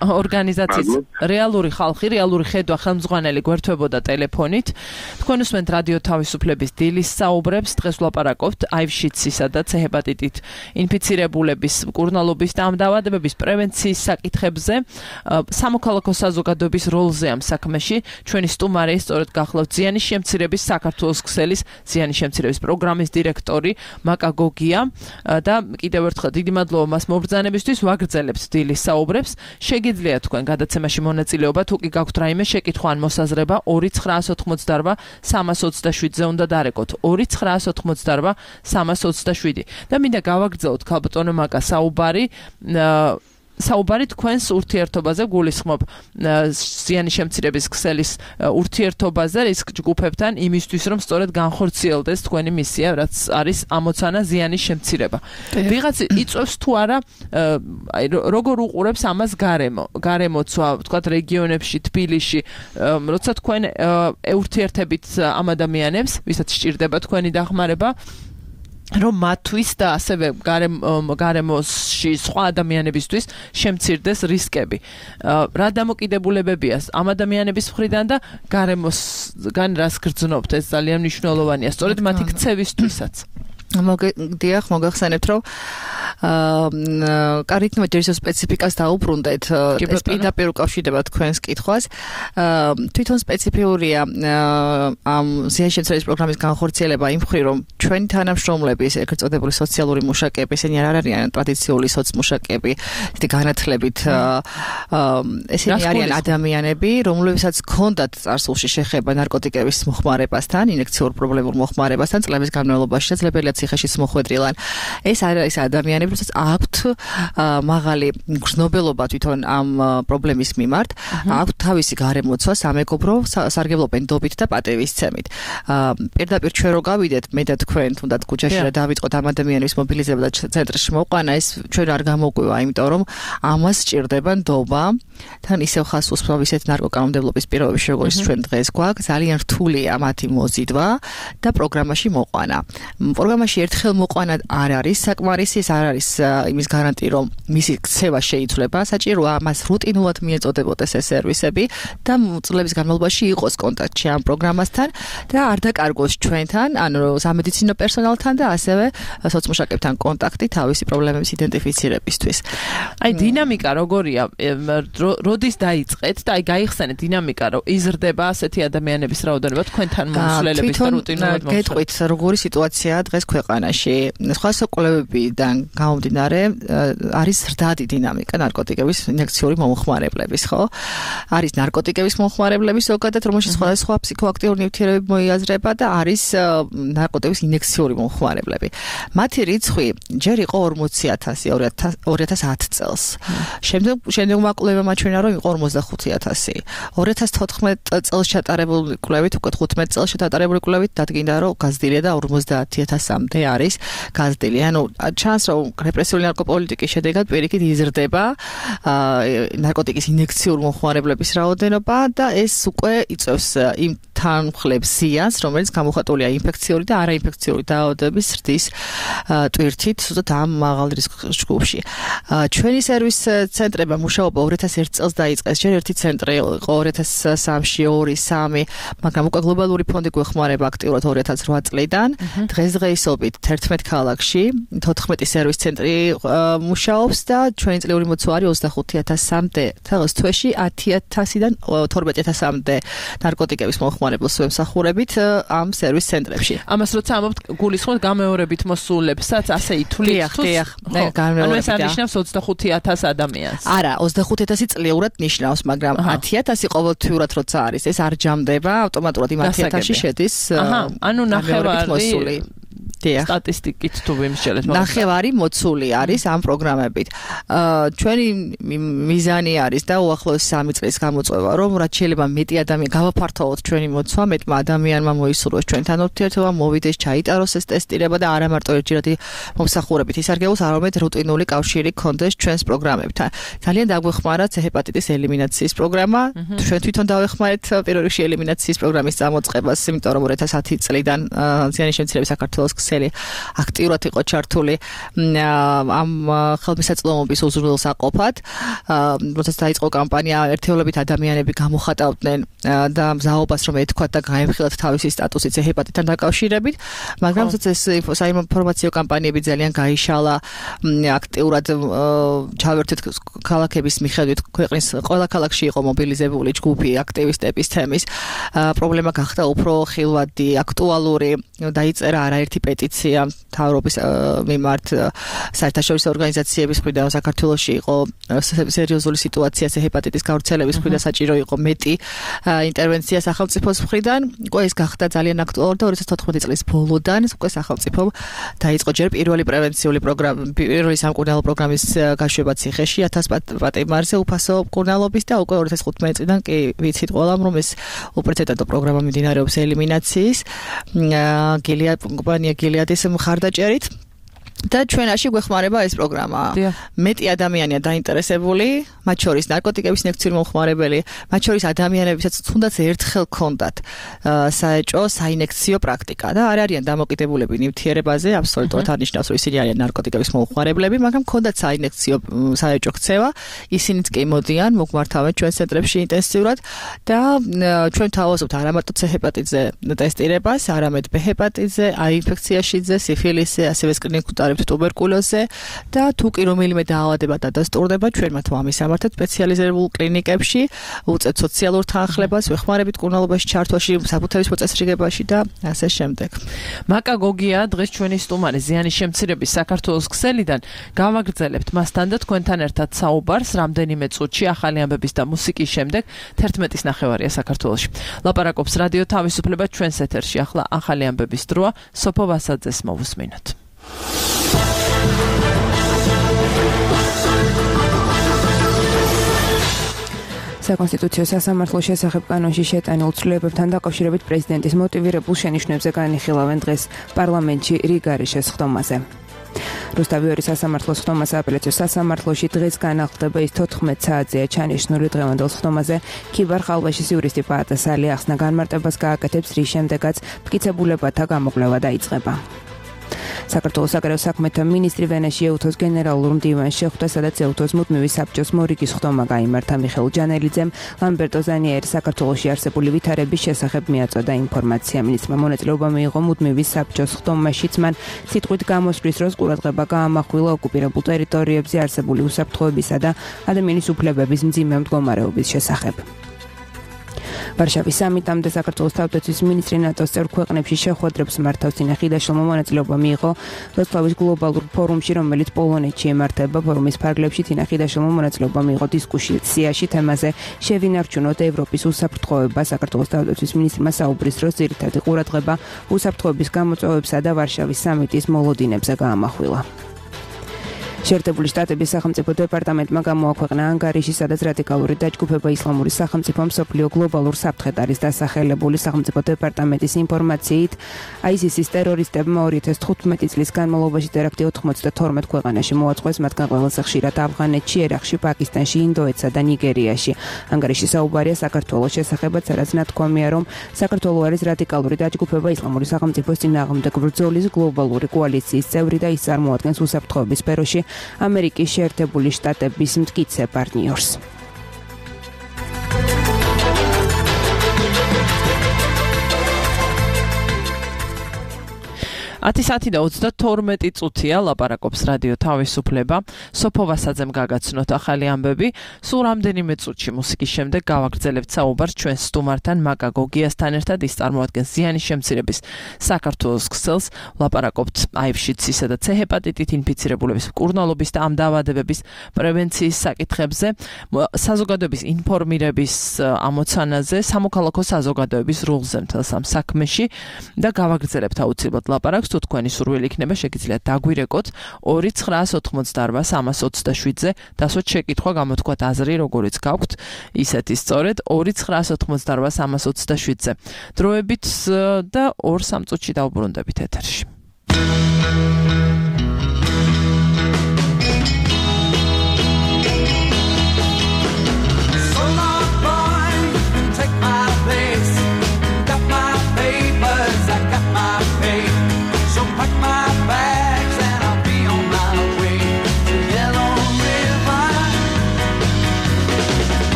ორგანიზაციის რეალური ხალხი, რეალური ხედვა ხელმძღვანელი გვერდებოდა ტელეფონით. თქვენ უსმენთ რადიო თავისუფლების დილის საუბრებს. დღეს ვლაპარაკობთ აივშიცისა და C ჰეპატიტით ინფიცირებულების მკურნალობის და ამ დაავადებების პრევენციის საკითხებზე. სამოქალაქო საზოგადოების როლზე ამ საქმეში ჩვენი სტუმარი სწორედ გახლავთ ზიანის შემცირების საქართველოს ქსელის ზიანის შემცირების პროგრამის დირექტორი მაკა გოგია და კიდევ ერთხელ დიდი მადლობა მას მობრძანებისთვის ვაგრძელებთ დილის საუბრებს შეგიძლიათ თქვენ გადაცემაში მონაწილეობა თუ კი გაქვთ რაიმე შეკითხვა ან მოსაზრება ორი ცხრაას ოთხმოცდაარბა სამას ოცდაშვიდზე უნდა დარეკოთ ორი ცხრაას ოთხმოცდაარბა სამას ოცდაშვიდი და მინდა გავაგრძელოთ ქალბატონო მაკა საუბარი საუბარი თქვენს ურთიერთობაზე გულისხმობ ზიანის შემცირების ქსელის ურთიერთობაზე რისკ ჯგუფებთან იმისთვის რომ სწორედ განხორციელდეს თქვენი მისია რაც არის ამოცანა ზიანის შემცირება. ვიღაც იწევს თუ არა აი როგორ უყურებს ამას გარემო გარემოცვა თქვათ რეგიონებში თბილისში როცა თქვენ ეურთიერთებით ამ ადამიანებს ვისაც სჭირდება თქვენი დახმარება რომ მათთვის და ასევე გარემოში სხვა ადამიანებისთვის შემცირდეს რისკები. რა დამოკიდებულებებია ამ ადამიანების მხრიდან და გარემოსგან რას გრძნობთ ეს ძალიან მნიშვნელოვანია სწორედ მათი ქცევისთვისაც. მოგდიახ მოგახსენებთ რომ აა კარგით მეჯერის სპეციფიკას დაუბრუნდეთ. ეს პირდაპირ უკავშირდება თქვენს კითხვას. აა თვითონ სპეციფიურია ამ ზიანშემცველის პროგრამის განხორციელება იმ მხრივ, რომ ჩვენი თანამშრომლების ეგრეთ წოდებული სოციალური მუშაკები, ესენი არ არიან ტრადიციული სოცმუშაკები, ისეთი განათლებით ესენი არიან ადამიანები, რომლებსაც ჰქონდათ წარსულში შეხება ნარკოტიკების მოხმარებასთან, ინექციურ პრობლემურ მოხმარებასთან, წლების განმავლობაში შეძლებელია ციხეშიც მოხვედრილან. ეს არის ადამიანები, რომელსაც აქვთ მაღალი გრძნობელობა თვითონ ამ პრობლემის მიმართ, აქვთ თავისი გარემოცვა, სამეგობრო, სარგებლობენ დობით და პატივისცემით. პირდაპირ ჩვენ რო გავიდეთ, მე და თქვენ თუნდაც ქუჩაში რა დავიწყოთ ამ ადამიანების მობილიზება და ცენტრში მოყვანა, ეს ჩვენ არ გამოგვივა, იმიტომ რომ ამას სჭირდება ნდობა, თან ისევ ხას უსწავლ ისეთ ნარკოკანონმდებლობის პირობებში, როგორც ჩვენ დღეს გვაქვს, ძალიან რთულია მათი მოზიდვა და პროგრამაში მოყვანა. პროგრამაში ერთხელ მოყვანა არ არის საკმარისი, ეს არ არის იმის გარანტი, რომ მისი ქცევა შეიცვლება, საჭიროა მას რუტინულად მიეწოდებოდეს ეს სერვისები და წლების განმავლობაში იყოს კონტაქტში ამ პროგრამასთან და არ დაკარგოს ჩვენთან, ანუ სამედიცინო პერსონალთან და ასევე სოცმუშაკებთან კონტაქტი თავისი პრობლემების იდენტიფიცირებისთვის. აი დინამიკა როგორია? როდის დაიწყეთ და აი გაიხსენეთ დინამიკა, რომ იზრდება ასეთი ადამიანების რაოდენობა თქვენთან მომსვლელების და რუტინულად მომსვლელების. გეტყვით, როგორი სიტუაციაა დღეს ქვეყანაში? სხვა საკვლევებიდან გამომდინარე, არის ზრდადი დინამიკა ნარკოტიკების ინექციური მომხმარებლების, ხო? არის ნარკოტიკების მომხმარებლების ზოგადად, რომელშიც სხვადასხვა ფსიქოაქტიური ნივთიერებები მოიაზრება და არის ნარკოტიკების ინექციური მომხმარებლები. მათი რიცხვი ჯერ იყო ორმოცი ათასი ორი ათას ათ წელს. შემდეგ შემდეგმა კვლევებმა ჩვენა რომ იყო ორმოცდახუთი ათასი. ორი ათას თოთხმეტ წელს ჩატარებული კვლევით, უკვე თხუთმეტ წელს ჩატარებული კვლევით დადგინდა რომ გაზრდილია და ორმოცდაათი ათასამდე არის გაზრდილი. ანუ ჩანს რომ რეპრესიული ნარკოპოლიტიკის შედეგად პირიქით იზრდება ნარკოტიკის ინექციური მომხმარებლების რაოდენობა და ეს უკვე იწევს იმ თანმხლებს ზიანს, რომელიც გამოხატულია ინფექციური და არაინფექციური დაავადებების ზრდის ტვირთით, ზუსტად ამ მაღალ რისკ ჯგუფში. ჩვენი სერვის ცენტრებმა მუშაობა ორი ათას ერთ წელს დაიწყეს. ჯერ ერთი ცენტრი იყო ორი ათას სამში, ორი, სამი, მაგრამ უკვე გლობალური ფონდი გვეხმარება აქტიურად ორი ათას რვა წლიდან. დღესდღეობით თერთმეტ ქალაქში თოთხმეტი სერვის ცენტრი მუშაობს და ჩვენი წლიური მოცვა არის ოცდახუთი ათასამდე. თელს თვეში ათი ათასიდან თორმეტი ათასამდე ნარკოტიკების მომხმარებელს ვემსახურებით ამ სერვის ცენტრებში. ამას როცა ამობთ, გულისხმობთ გამეორებით მოსულებსაც, ასე ითვლით თუ? ანუ ეს არნიშნავს ოცდახუთი ათას ადამიანს. არა, ოცდახუთი ათასი წლიურად ნიშნავს, მაგრამ ათი ათასი ყოველთვიურად როცა არის, ეს არ ჯამდება, ავტომატურად იმ ათი ათასში შედის. აჰა, ანუ ნახევარი სტატისტიკით თუ ვიმსჯელეთ. ნახევარი მოცული არის ამ პროგრამებით. ჩვენი მიზანი არის და უახლოეს სამი წლის გამოწვევა, რომ რაც შეიძლება მეტი ადამიანი გავაფართოვოთ ჩვენი მოცვა, მეტმა ადამიანმა მოისურვოს ჩვენთან ურთიერთობა, მოვიდეს, ჩაიტაროს ეს ტესტირება და არა მარტო ერთჯერადი მომსახურებით ისარგებლოს, არამედ რუტინული კავშირი გქონდეს ჩვენს პროგრამებთან. ძალიან დაგვეხმარა ცე ჰეპატიტის ელიმინაციის პროგრამა. ჩვენ თვითონ დავეხმარეთ პირველ რიგში ელიმინაციის პროგრამის წამოწყებას, იმიტომ რომ ორი ათას ათი წლიდან ზიანის შემცირების საქართველოს აქტიურად იყო ჩართული ამ ხელმისაწვდომობის უზრუნველსაყოფად. როდესაც დაიწყო კამპანია, ერთეულობით ადამიანები გამოხატავდნენ და მზაობას რომ ეთქვათ და გაემხილათ თავისი სტატუსი ცე ჰეპატიტთან დაკავშირებით, მაგრამ ეს საინფორმაციო კამპანიები ძალიან გაიშალა, აქტიურად ჩავერთეთ ქალაქების მიხედვით, ქვეყნის ყველა ქალაქში იყო მობილიზებული ჯგუფი აქტივისტების თემის. პრობლემა გახდა უფრო ხილვადი, აქტუალური, დაიწერა არაერთი პეტიცია მთავრობის მიმართ, საერთაშორისო ორგანიზაციების მხრიდან საქართველოში იყო სერიოზული სიტუაცია ჰეპატიტის გავრცელების მხრიდან, საჭირო იყო მეტი ინტერვენცია სახელმწიფოს მხრიდან. უკვე ეს გახდა ძალიან აქტუალური და ორი ათას თოთხმეტი წლის ბოლოდან უკვე სახელმწიფომ დაიწყო ჯერ პირველი პრევენციული პროგრამა, პირველი სამკურნალო პროგრამის გაშვება ციხეში ათას პატიმარზე უფასო მკურნალობის და უკვე ორი ათას ხუთმეტი წლიდან კი ვიცით ყველამ, რომ ეს უპრეცედენტო პროგრამა მიმდინარეობს ელიმინაციის. გილია კომპანია გილიადის მხარდაჭერით და ჩვენაში გვეხმარება ეს პროგრამა. მეტი ადამიანია დაინტერესებული, მათ შორის ნარკოტიკების ინექციური მომხმარებელი, მათ შორის ადამიანებისაც თუნდაც ერთხელ ჰქონდათ საეჭო საინექციო პრაქტიკა და არ არიან დამოკიდებულები ნივთიერებაზე, აბსოლუტურად არ ნიშნავს, რომ ისინი არიან ნარკოტიკების მომხმარებლები, მაგრამ ჰქონდათ საინექციო საეჭო ქცევა, ისინიც კი მოდიან, მოგვართავენ ჩვენ ცენტრებში ინტენსიურად და ჩვენ თავაზობთ არა მარტო ცე ჰეპატიტზე ტესტირებას, არამედ ბ ჰეპატიტზე, აი ინფექციაშიძე, სიფილისზე, ასევე სკრინინგ ვიმონიტორებთ ტუბერკულოზზე და თუ კი რომელიმე დაავადება დადასტურდება, ჩვენ მათ ვამისამართებთ სპეციალიზებულ კლინიკებში, უწევთ სოციალურ თანხლებას, ვეხმარებით მკურნალობაში ჩართვაში, საფუთების მოწესრიგებაში და ასე შემდეგ. მაკა გოგია დღეს ჩვენი სტუმარი ზიანის შემცირების საქართველოს ქსელიდან. გავაგრძელებთ მასთან და თქვენთან ერთად საუბარს რამდენიმე წუთში ახალი ამბების და მუსიკის შემდეგ თერთმეტის ნახევარია საქართველოში. ლაპარაკობს რადიო თავისუფლება ჩვენს ეთერში. ახლა ახალი ამბების დროა. სოფო ვასაძეს მოვუსმინოთ. საკონსტიტუციო სასამართლოს შესახებ კანონში შეტანილ ცვლილებებთან დაკავშირებით პრეზიდენტის მოტივირებულ შენიშვნებზე განიხილავენ დღეს პარლამენტში რიგარიშეს ხდომაზე. რუსთავი სასამართლოს ხდომაზე აპელაციო სასამართლოში დღეს განახლდება ის თოთხმეტ საათზეა ჩანიშნული დღევანდელ ხდომაზე. ქიბარ ხალვაშის იურისტი პაატა სალი ახსნა განმარტებას გააკეთებს, რის შემდეგაც მტკიცებულებათა გამოკვლევა დაიწყება. საქართველოს საგარეო საქმეთა მინისტრი ვენაში ეუთოს გენერალურ მდივანს შეხვდა, სადაც ეუთოს მუდმივი საბჭოს მორიგის ხდომა გაიმართა. მიხეილ ჯანელიძემ ლამბერტო ზანიერი საქართველოში არსებული ვითარების შესახებ მიაწოდა ინფორმაცია. მინისტრმა მონაწილეობა მიიღო მუდმივი საბჭოს ხდომაშიც. მან სიტყვით გამოსვლის დროს ყურადღება გაამახვილა ოკუპირებულ ტერიტორიებზე არსებული უსაფრთხოებისა და ადამიანის უფლებების მძიმე მდგომარეობის შესახებ. ვარშავის სამიტამდე საქართველოს თავდაცვის მინისტრი ნატოს წევრ ქვეყნებში შეხვედრებს მართავს. დინა ხიდაშვილმა მონაწილეობა მიიღო ვერცხლის გლობალურ ფორუმში, რომელიც პოლონეთში ემართება. ფორუმის ფარგლებში დინა ხიდაშვილმა მონაწილეობა მიიღო დისკუსიაში თემაზე შევინარჩუნოთ ევროპის უსაფრთხოება. საქართველოს თავდაცვის მინისტრმა საუბრის დროს ძირითადი ყურადღება უსაფრთხოების გამოწვევებსა და ვარშავის სამიტის მოლოდინებზე გაამახვილა. შეერთებული შტატების სახელმწიფო დეპარტამენტმა გამოაქვეყნა ანგარიში, სადაც რადიკალური დაჯგუფება ისლამური სახელმწიფო მსოფლიო გლობალურ საფრთხედ არის დასახელებული. სახელმწიფო დეპარტამენტის ინფორმაციით, აისისის ტერორისტებმა ორი ათას თხუთმეტი წლის განმავლობაში ტერაქტი ოცდათორმეტ ქვეყანაში მოაწყვეს, მათგან ყველაზე ხშირად ავღანეთში, ერაყში, პაკისტანში, ინდოეთსა და ნიგერიაში. ანგარიში საუბარია საქართველოს შესახებაც, სადაც ნათქვამია, რომ საქართველო არის რადიკალური დაჯგუფება ისლამური სახელმწიფოს წინააღმდეგ ბრძოლის გლობალური კოალიციის წევრი და ის წარმოადგენს უსაფრთხოების სფეროში ამერიკის შეერთებული შტატების მტკიცე პარტნიორს. ათი საათი და ოცდათორმეტი წუთია ლაპარაკობს რადიო თავისუფლება. სოფო ვასაძემ გაგაცნოთ ახალი ამბები. სულ რამდენიმე წუთში მუსიკის შემდეგ გავაგრძელებთ საუბარს ჩვენს სტუმართან მაკა გოგიასთან ერთად. ის წარმოადგენს ზიანის შემცირების საქართველოს ქსელს. ლაპარაკობთ აივ-შიცისა და C ჰეპატიტით ინფიცირებულების მკურნალობის და ამ დაავადებების პრევენციის საკითხებზე, საზოგადოების ინფორმირების ამოცანაზე, სამოქალაქო საზოგადოების როლზე მთელს ამ საქმეში და გავაგრძელებთ აუცილებლად ლაპარაკს. თუ თქვენი სურვილი იქნება, შეგიძლიათ დაგვირეკოთ ორი ცხრაას ოცდაოთხმოცდაარბა სამას ოცდაშვიდზე, დასვათ შეკითხვა, გამოთქვათ აზრი, როგორიც გაქვთ, ისეთი სწორედ ორი ცხრაას ოცდაოთხმოცდაარბა სამას ოცდაშვიდზე. დროებით და ორ სამ წუთში დავუბრუნდებით ეთერში.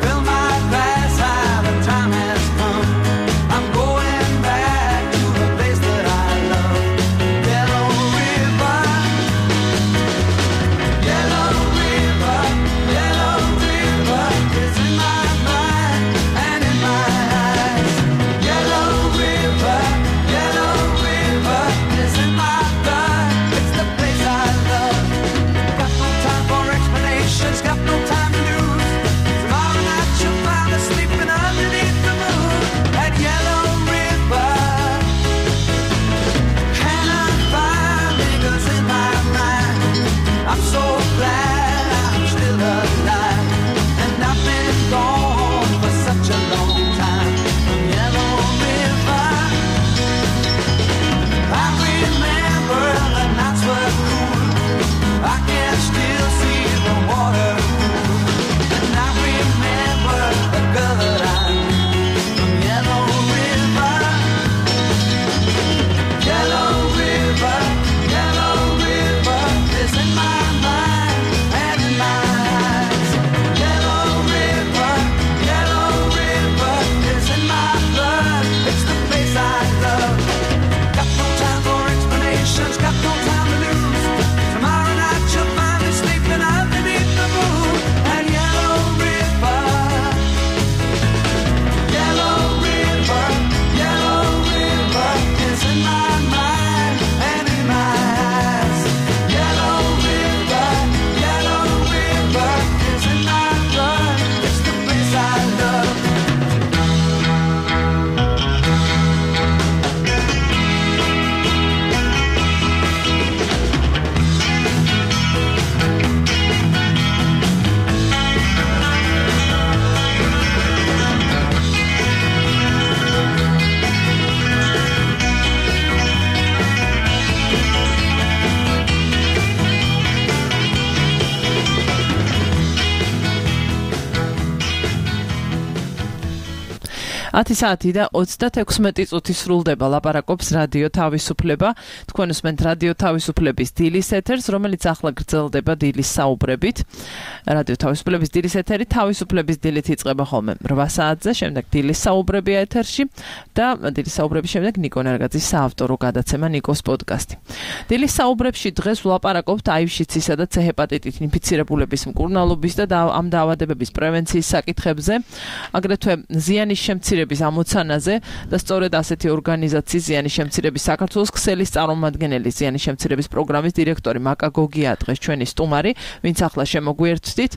Fill my glass, how the time has come. I'm going back. ათი საათი და ოცდათექვსმეტი წუთი სრულდება ლაპარაკობს რადიო თავისუფლება. თქვენ უსმენთ რადიო თავისუფლების დილის ეთერს, რომელიც ახლა გრძელდება დილის საუბრებით. რადიო თავისუფლების დილის ეთერი თავისუფლების დილით იწყება ხოლმე რვა საათზე, შემდეგ დილის საუბრებია ეთერში და დილის საუბრების შემდეგ ნიკო ნარგაძის საავტორო გადაცემა ნიკოს პოდკასტი. დილის საუბრებში დღეს ვლაპარაკობთ აივ-შიცისა და C ჰეპატიტით ინფიცირებულების მკურნალობის და ამ დაავადებების პრევენციის საკითხებზე, აგრეთვე ზიანის შემცირების ამოცანაზე და სწორედ ასეთი ორგანიზაციის ზიანის შემცირების საქართველოს ქსელის წარმომადგენელი ზიანის შემცირების პროგრამის დირექტორი მაკა გოგია დღეს ჩვენი სტუმარი, ვინც ახლა შემოგვიერთდით.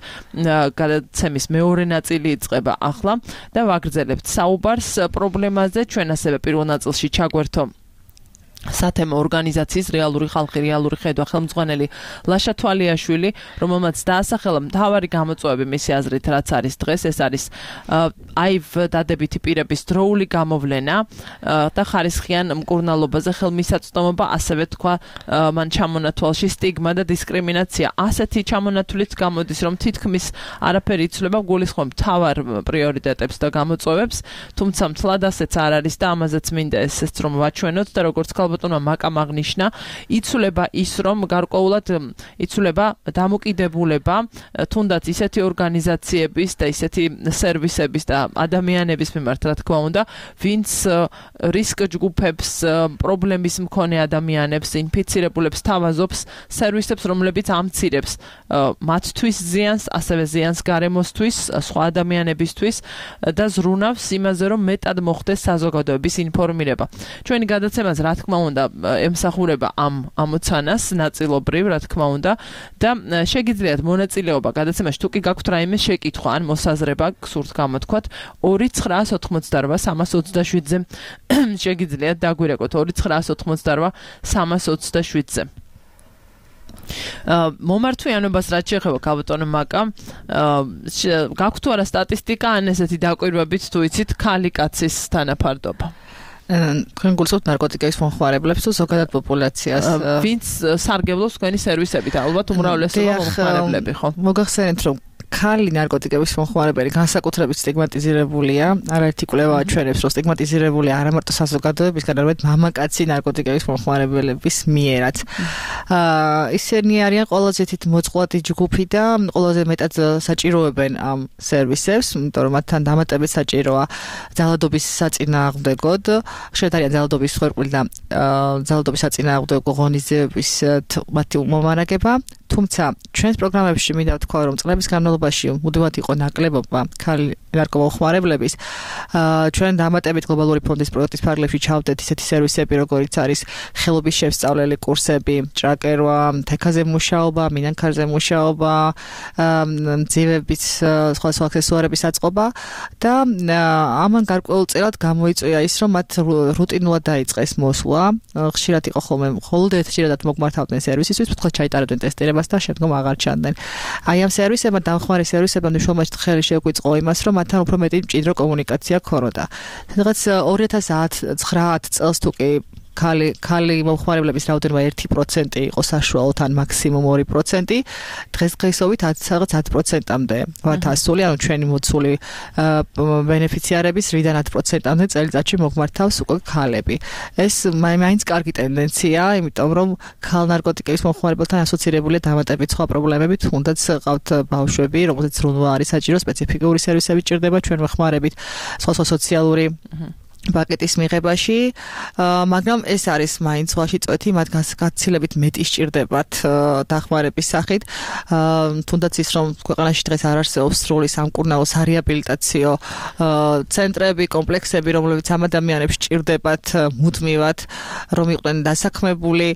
გადაცემის მეორე ნაწილი იწყება ახლა და ვაგრძელებთ საუბარს პრობლემაზე. ჩვენ ასევე პირველ ნაწილში ჩაგვერთო სათემო ორგანიზაციის რეალური ხალხი, რეალური ხედვა ხელმძღვანელი ლაშა თვალიაშვილი, რომელმაც დაასახელა მთავარი გამოწვევები მისი აზრით, რაც არის დღეს, ეს არის აივ დადებითი პირების დროული გამოვლენა და ხარისხიან მკურნალობაზე ხელმისაწვდომობა, ასევე თქვა მან ჩამონათვალში სტიგმა და დისკრიმინაცია. ასეთი ჩამონათვლით გამოდის, რომ თითქმის არაფერი იცვლება გულისხმობ მთავარ პრიორიტეტებს და გამოწვევებს, თუმცა მთლად ასეც არ არის და ამაზეც მინდა ესეც რომ ვაჩვენოთ და როგორც ბატონმა მაკამ აღნიშნა, იცვლება ის, რომ გარკვეულად იცვლება დამოკიდებულება თუნდაც ისეთი ორგანიზაციების და ისეთი სერვისების და ადამიანების მიმართ, რა თქმა უნდა, ვინც რისკ ჯგუფებს, პრობლემის მქონე ადამიანებს, ინფიცირებულებს თავაზობს სერვისებს, რომლებიც ამცირებს მათთვის ზიანს, ასევე ზიანს გარემოსთვის, სხვა ადამიანებისთვის და ზრუნავს იმაზე, რომ მეტად მოხდეს საზოგადოების ინფორმირება. ჩვენი გადაცემაც, რა თქმა უნდა, ემსახურება ამ ამოცანას ნაწილობრივ, რა თქმა უნდა, და შეგიძლიათ მონაწილეობა გადაცემაში, თუ კი გაქვთ რაიმე შეკითხვა ან მოსაზრება, გსურთ გამოთქვათ, ორი ცხრაას ოცდაოთხმოცდარვა სამას ოცდაშვიდზე შეგიძლიათ დაგვირეკოთ ორი ცხრაას ოცდაოთხმოცდარვა სამას ოცდაშვიდზე. მომართვიანობას რაც შეეხება ქალბატონო მაკა, გაქვთ თუ არა სტატისტიკა ან ესეთი დაკვირვებით თუ იცით ქალი კაცის თანაფარდობა? თქვენ გულისხმობთ ნარკოტიკების მომხმარებლებს თუ ზოგადად პოპულაციას? ვინც სარგებლობს თქვენი სერვისებით, ალბათ უმრავლესობა მომხმარებლები, ხო? მოგახსენეთ, რომ ქალი ნარკოტიკების მომხმარებელი განსაკუთრებით სტიგმატიზირებულია. არაერთი კვლევა აჩვენებს, რომ სტიგმატიზირებულია არა მარტო საზოგადოებისგან, არამედ მამაკაცი ნარკოტიკების მომხმარებლების მიერაც. ისინი არიან ყველაზე თით მოწყვლადი ჯგუფი და ყველაზე მეტად საჭიროებენ ამ სერვისებს, იმიტომ რომ მათთან დამატებით საჭიროა ძალადობის საწინააღმდეგოდ, შეიძლება არიან ძალადობის მსხვერპლი და ძალადობის საწინააღმდეგო ღონისძიებების მათი მომარაგება. თუმცა ჩვენს პროგრამებში მინდა ვთქვა, რომ წლების განმავლობაში მუდმივად იყო ნაკლებობა ქალი ნარკომომხმარებლების. ჩვენ დამატებით გლობალური ფონდის პროექტის ფარგლებში ჩავდეთ ისეთი სერვისები, როგორიც არის ხელობის შესწავლელი კურსები, ჭრაკერვა, თექაზე მუშაობა, მინანქარზე მუშაობა, მძივების სხვა სხვა აქსესუარების აწყობა და ამან გარკვეულწილად გამოიწვია ის, რომ მათ რუტინულად დაიწყეს მოსვლა. ხშირად იყო ხოლმე მხოლოდ ერთჯერადად მოგმართავდნენ სერვისისთვის, ფრთხილად ჩაიტარებდნენ ტესტირებას და შემდგომ აღარ ჩანდნენ. აი ამ სერვისებმა, დამხმარე სერვისებმა მნიშვნელოვნად ხელი შეუკვიწყო იმას, რომ მათთან უფრო მეტი მჭიდრო კომუნიკაცია ქონოდა. სადღაც ორი ათას ცხრაათი წელს თუ კი ქალი ქალი მომხმარებლების რაოდენობა ერთი პროცენტი იყო საშუალოდ ან მაქსიმუმ ორი პროცენტი, დღესდღეობით სადღაც ათი პროცენტამდე ვართ ასული, ანუ ჩვენი მოცული ბენეფიციარების რიდან ათი პროცენტამდე წელიწადში მოგმართავს უკვე ქალები. ეს მაინც კარგი ტენდენცია, იმიტომ რომ ქალ ნარკოტიკების მომხმარებელთან ასოცირებულია დამატებით სხვა პრობლემები, თუნდაც ყავთ ბავშვები, რომელზეც ზრუნვა არის საჭირო, სპეციფიკური სერვისები ჭირდება ჩვენ ვეხმარებით, სხვა სხვა სოციალური პაკეტის მიღებაში, მაგრამ ეს არის მაინც სხვაში წვეთი, მათ გაცილებით მეტი სჭირდებათ დახმარების სახით. თუნდაც ის, რომ ქვეყანაში დღეს არ არსებობს სრული სამკურნალო სარეაბილიტაციო ცენტრები, კომპლექსები, რომლებიც ამ ადამიანებს სჭირდებათ მუდმივად, რომ იყვნენ დასაქმებული,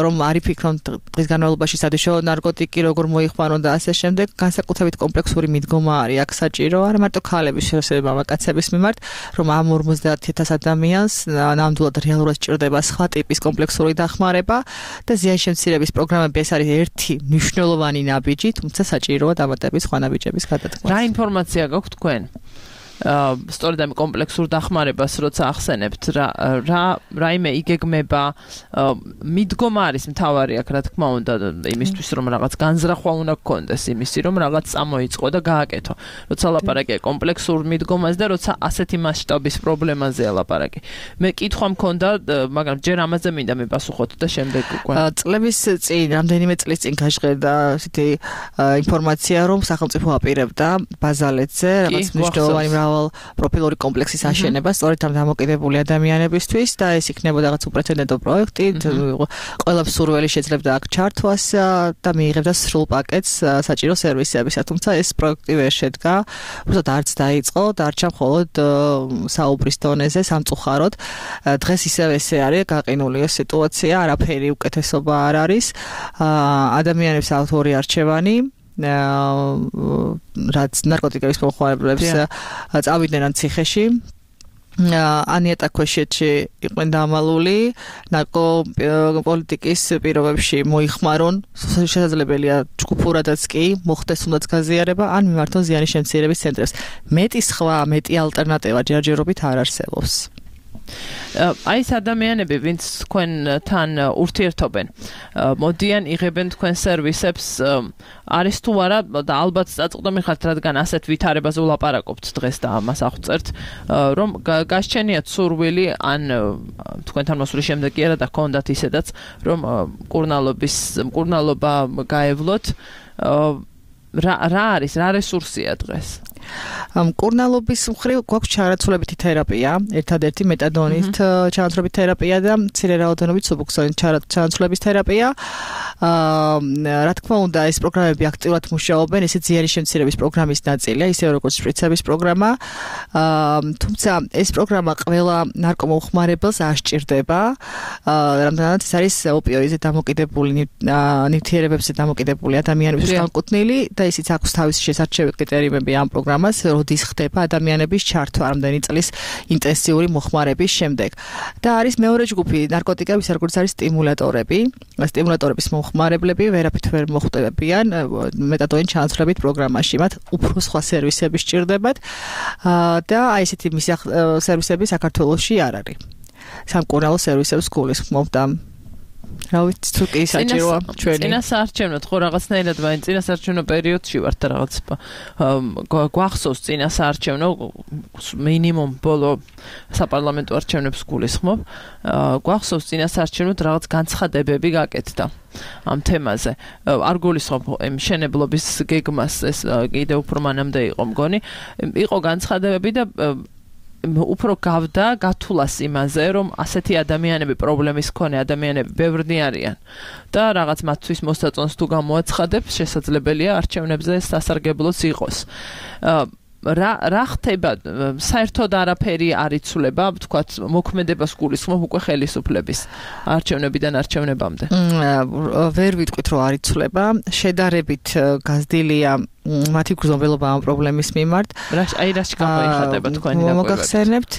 რომ არ იფიქრონ დღის განმავლობაში სადიშო ნარკოტიკი როგორ მოიხმარონ და ასე შემდეგ. განსაკუთრებით კომპლექსური მიდგომა არის აქ საჭირო, არა მარტო ქალების შესაძლებლობა მამაკაცების მიმართ, რომ ამ ოცდაათი ათას ადამიანს ნამდვილად რეალურად სჭირდება სხვა ტიპის კომპლექსური დახმარება და ზიანის შემცირების პროგრამები ეს არის ერთი მნიშვნელოვანი ნაბიჯი, თუმცა საჭიროა დამატებით სხვა ნაბიჯების გადადგმა. რა ინფორმაცია გაქვთ თქვენ? სწორედ ამ კომპლექსურ დახმარებას როცა ახსენებთ რა რა რაიმე იგეგმება მიდგომა არის მთავარი აქ რა თქმა უნდა იმისთვის რომ რაღაც განზრახვა უნდა გქონდეს იმისი რომ რაღაც წამოიწყო და გააკეთო როცა ლაპარაკია კომპლექსურ მიდგომაზე და როცა ასეთი მასშტაბის პრობლემაზეა ლაპარაკი მე კითხვა მქონდა მაგრამ ჯერ ამაზე მინდა მიპასუხოთ და შემდეგ უკვე წლების წინ რამდენიმე წლის წინ გაჟღერდა ასეთი ინფორმაცია რომ სახელმწიფო აპირებდა ბაზალეთზე რაღაც მნიშვნელოვანი მრავალ პროფილური კომპლექსის აშენება სწორედ ამ დამოკიდებული ადამიანებისთვის და ეს იქნებოდა რაღაც უპრეცედენტო პროექტი ყველა მსურველი შეძლებდა აქ ჩართვას და მიიღებდა სრულ პაკეტს საჭირო სერვისებისა თუმცა ეს პროექტი ვერ შედგა უბრალოდ არც დაიწყო დარჩა მხოლოდ საუბრის დონეზე სამწუხაროდ დღეს ისევ ესე არის გაყინული ეს სიტუაცია არაფერი უკეთესობა არ არის ადამიანებს ავტორი არჩევანი რაც ნარკოტიკების მომხმარებლებს წავიდნენ ამ ციხეში ანიეტა ქვეშეთში იყვნენ დამალული ნარკო პოლიტიკის პირობებში მოიხმარონ შესაძლებელია ჯგუფურადაც კი მოხდეს თუნდაც გაზიარება ან მიმართონ ზიანის შემცირების ცენტრებს მეტი სხვა მეტი ალტერნატივა ჯერჯერობით არ არსებობს აი ეს ადამიანები ვინც თქვენთან ურთიერთობენ მოდიან იღებენ თქვენ სერვისებს არის თუ არა და ალბათ წაწყდომი ხართ რადგან ასეთ ვითარებაზე ვლაპარაკობთ დღეს და ამას აღწერთ რომ გასჩენიათ სურვილი ან თქვენთან მოსვლის შემდეგ კი არა და გქონდათ ისედაც რომ მკურნალობის მკურნალობა გაევლოთ რა რა არის რა რესურსია დღეს მკურნალობის მხრივ გვაქვს ჩარაცულებითი თერაპია, ერთადერთი მეტადონით ჩანაცვლების თერაპია და მცირე რაოდენობით სუბუქსონის ჩანაცვლების თერაპია. რა თქმა უნდა, ეს პროგრამები აქტიურად მუშაობენ, ესეც ზიანის შემცირების პროგრამის ნაწილია, ისე როგორც შპრიცების პროგრამა. თუმცა ეს პროგრამა ყველა ნარკომომხმარებელს არ სჭირდება, რამდენადაც ეს არის ოპიოიდზე დამოკიდებული ნივთიერებებზე დამოკიდებული ადამიანების განკუთვნილი და ისიც აქვს თავისი შესარჩევი კრიტერიუმები ამ პროგრამას, როდის ხდება ადამიანების ჩართვა რამდენი წლის ინტენსიური მოხმარების შემდეგ. და არის მეორე ჯგუფი ნარკოტიკების, როგორც არის სტიმულატორები, სტიმულატორების მომხმარებლები ვერაფრით ვერ მოხვდებიან მეტადონის ჩანაცვლებით პროგრამაში, მათ უფრო სხვა სერვისები სჭირდებათ და აი ესეთი სერვისები საქართველოში არ არის. სამკურნალო სერვისებს გულისხმობ და რა ვიცი თუ კი საჭიროა ჩვენი წინასაარჩევნო ხო რაღაცნაირად ვაინ წინასაარჩევნო პერიოდში ვართ და რაღაც გვახსოვს წინასაარჩევნო მინიმუმ ბოლო საპარლამენტო არჩევნებს გულისხმობ გვახსოვს წინასაარჩევნო რაღაც განცხადებები გაკეთდა ამ თემაზე არ გულისხმობ იმ შენებლობის გეგმას ეს კიდე უფრო მანამდე იყო მგონი იყო განცხადებები და უფრო გავდა გათვლას იმაზე რომ ასეთი ადამიანები პრობლემის მქონე ადამიანები ბევრნი არიან და რაღაც მათთვის მოსაწონს თუ გამოაცხადებს შესაძლებელია არჩევნებზე სასარგებლოც იყოს რა რა ხდება საერთოდ არაფერი არ იცვლება თქვათ მოქმედებას გულისხმობ უკვე ხელისუფლების არჩევნებიდან არჩევნებამდე ვერ ვიტყვით რომ არ იცვლება შედარებით გაზრდილია მათი გრძნობელობა ამ პრობლემის მიმართ რა აი რა გამოიხატება თქვენი დაკვირვებით მოგახსენებთ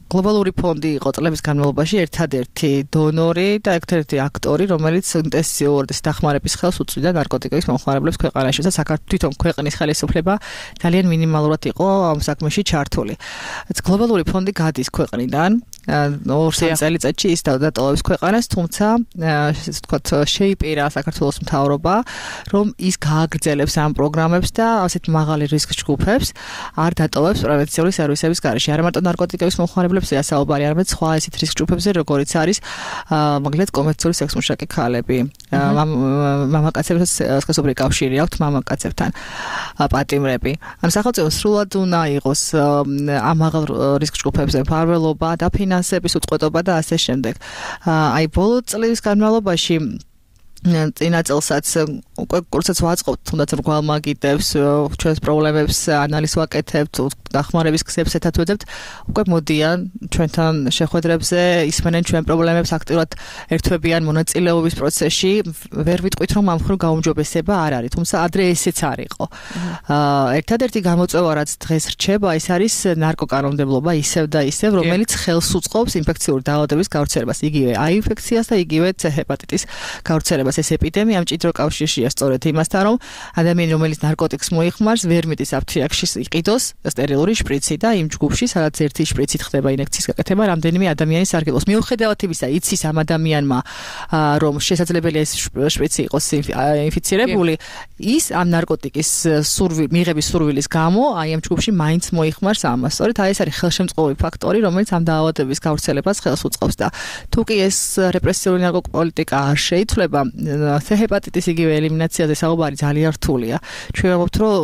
გლობალური ფონდი იყო წლების განმავლობაში ერთადერთი დონორი და ერთადერთი აქტორი, რომელიც ინტენსიურად დახმარების ხელს უწვდიდა ნარკოტიკების მომხმარებლებს ქვეყანაში და საქართველოს თვითონ ქვეყნის ხელისუფლება ძალიან მინიმალურად იყო ამ საქმეში ჩართული. გლობალური ფონდი გადის ქვეყნიდან ორ წელიწადში ის დატოვებს ქვეყანას, თუმცა ესე ვთქვათ შეიპირა საქართველოს მთავრობა, რომ ის გააგრძელებს ამ პროგრამებს და ასეთ მაღალი რისკის ჯგუფებს არ დატოვებს პრევენციული სერვისების გარეშე. არა მარტო ნარკოტიკების მომხმარებლებს საუბარი, არამედ სხვა ესეთ რისკ ჯგუფებზე, როგორიც არის მაგალითად კომერციული სექსმუშაკი ქალები, მამაკაცებსაც სქესობრივი კავშირი აქვთ მამაკაცებთან, პატიმრები. ან სახელმწიფო სრულად უნდა იყოს ამ მაღალ რისკ ჯგუფებზე მფარველობა და ფინანსების უწყვეტობა და ასე შემდეგ. აი ბოლო წლების განმავლობაში წინა წელსაც უკვე კურსებს ვაწყობთ, თუნდაც რგვალ მაგიდებს, ჩვენს პრობლემებს ანალიზს ვაკეთებთ, დახმარების გზებს ეთათვედებთ, უკვე მოდიან ჩვენთან შეხვედრებზე, ისმენენ ჩვენ პრობლემებს, აქტიურად ერთვებიან მონაწილეობის პროცესში. ვერ ვიტყვით, რომ ამ მხრივ გაუმჯობესება არ არის, თუმცა ადრე ესეც არ იყო. ერთადერთი გამოწვევა, რაც დღეს რჩება, ის არის ნარკოკანონმდებლობა ისევ და ისევ, რომელიც ხელს უწყობს ინფექციური დაავადების გავრცელებას, იგივე აი ინფექციას და იგივე C ჰეპატიტის გავრცელებას. ეს ეპიდემია მჭიდრო კავშირშია სწორედ იმასთან, რომ ადამიანი, რომელიც ნარკოტიკს მოიხმარს, ვერ მიდის აფთიაქში იყიდოს, სარგებლური შპრიცი და იმ ჯგუფში, სადაც ერთი შპრიცით ხდება ინექციის გაკეთება, რამდენიმე ადამიანის სარგებლობს. მიუხედავად იმისა, იცის ამ ადამიანმა, რომ შესაძლებელია ეს შპრიცი იყოს ინფიცირებული, ის ამ ნარკოტიკის სურვილ მიღების სურვილის გამო აი ამ ჯგუფში მაინც მოიხმარს ამას. სწორედ აი ეს არის ხელშემწყობი ფაქტორი, რომელიც ამ დაავადების გავრცელებას ხელს უწყობს და თუ კი ეს რეპრესიული ნარკოპოლიტიკა არ შეიცვლება, C ჰეპატიტის იგივე ელიმინაციაზე საუბარი ძალიან რთულია. ჩვენ ვამბობთ, რომ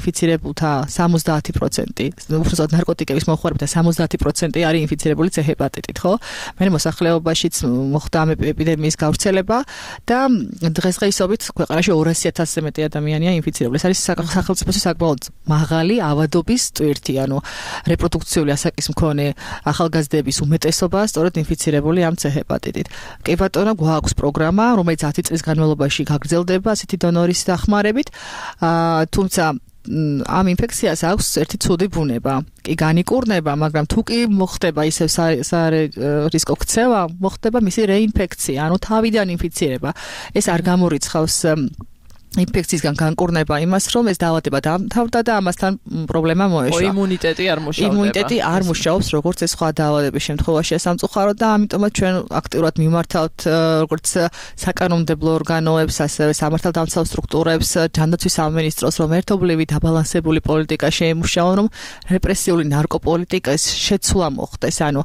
ინფიცირებულთა სამოცდაათი პროცენტი, უბრალოდ ნარკოტიკების მომხმარებელთა სამოცდაათი პროცენტი არის ინფიცირებული C ჰეპატიტით, ხო? მე მოსახლეობაშიც მოხდა ამ ეპიდემიის გავრცელება და დღესდღეობით ქვეყანაში ორასი ათასზე მეტი ადამიანია ინფიცირებული. ეს არის სახელმწიფოს საკმაოდ მაღალი ავადობის ტვირთი, ანუ რეპროდუქციული ასაკის მქონე ახალგაზრდების უმეტესობა სწორედ ინფიცირებული ამ C ჰეპატიტით. კი ბატონო, გვაქვს პროგრამა, რომელიც ათი წლის განმავლობაში გაგრძელდება ასეთი დონორის დახმარებით, თუმცა ამ ინფექციას აქვს ერთი ცუდი ბუნება. კი განიკურნება, მაგრამ თუ კი მოხდება ისევ სარისკო ქცევა, მოხდება მისი რეინფექცია, ანუ თავიდან ინფიცირება. ეს არ გამორიცხავს ინფექციისგან განკურნება იმას, რომ ეს დაავადება დამთავრდა და ამასთან პრობლემა მოეშვა. იმუნიტეტი არ მუშაობს. იმუნიტეტი არ მუშაობს, როგორც ეს სხვა დაავადების შემთხვევაში სამწუხაროდ და ამიტომაც ჩვენ აქტიურად მიმართავთ როგორც საკანონმდებლო ორგანოებს, ასევე სამართალდამცავ სტრუქტურებს, ჯანდაცვის სამინისტროს, რომ ერთობლივი დაბალანსებული პოლიტიკა შეემუშაონ, რომ რეპრესიული ნარკოპოლიტიკის შეცვლა მოხდეს, ანუ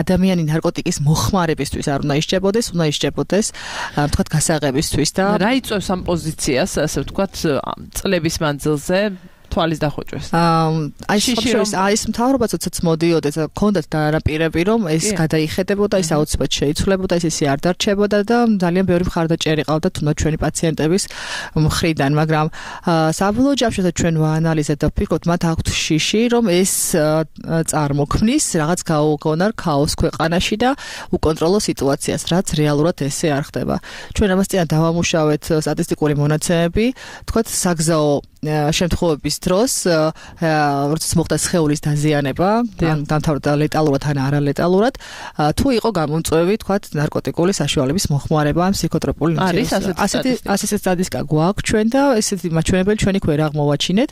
ადამიანი ნარკოტიკის მოხმარებისთვის არ უნდა ისჯებოდეს, უნდა ისჯებოდეს თქვათ გასაღებისთვის და რა იწვევს ამ პოზიციას, ასე ვთქვათ, წლების მანძილზე თვალის დახვეჭვას. აი შიშის აი ეს მთავრობა ცოტაც მოდიოდა და ქონდათ დანაპირები, რომ ეს გადაიხედებოდა, ის აუცილებლად შეიცვლებოდა, ეს ისე არ დარჩებოდა და ძალიან ბევრი მხარდაჭერი ყავდა თუნდაც ჩვენი პაციენტების მხრიდან, მაგრამ საბოლოო ჯამში ჩვენ ვაანალიზეთ და ვფიქრობთ, მათ აქვთ შიში, რომ ეს წარმოქმნის რაღაც გაუგონარ ქაოს ქვეყანაში და უკონტროლო სიტუაციას, რაც რეალურად ესე არ ხდება. ჩვენ ამას წინ დავამუშავეთ სტატისტიკური მონაცემები, თქვათ საგზაო შემთხვევების დროს, როცა მოხდა სხეულის დაზიანება, დამთავრდა ლეტალურად ან არალეტალურად, თუ იყო გამომწვევი, თქვათ, ნარკოტიკული საშუალების მოხმარება ამ ფსიქოტროპული ნივთიერებაზე. ასეთი ასეთი სტატისტიკა გვაქვს ჩვენ და ესეთი მაჩვენებელი ჩვენი ქვერ აღმოვაჩინეთ.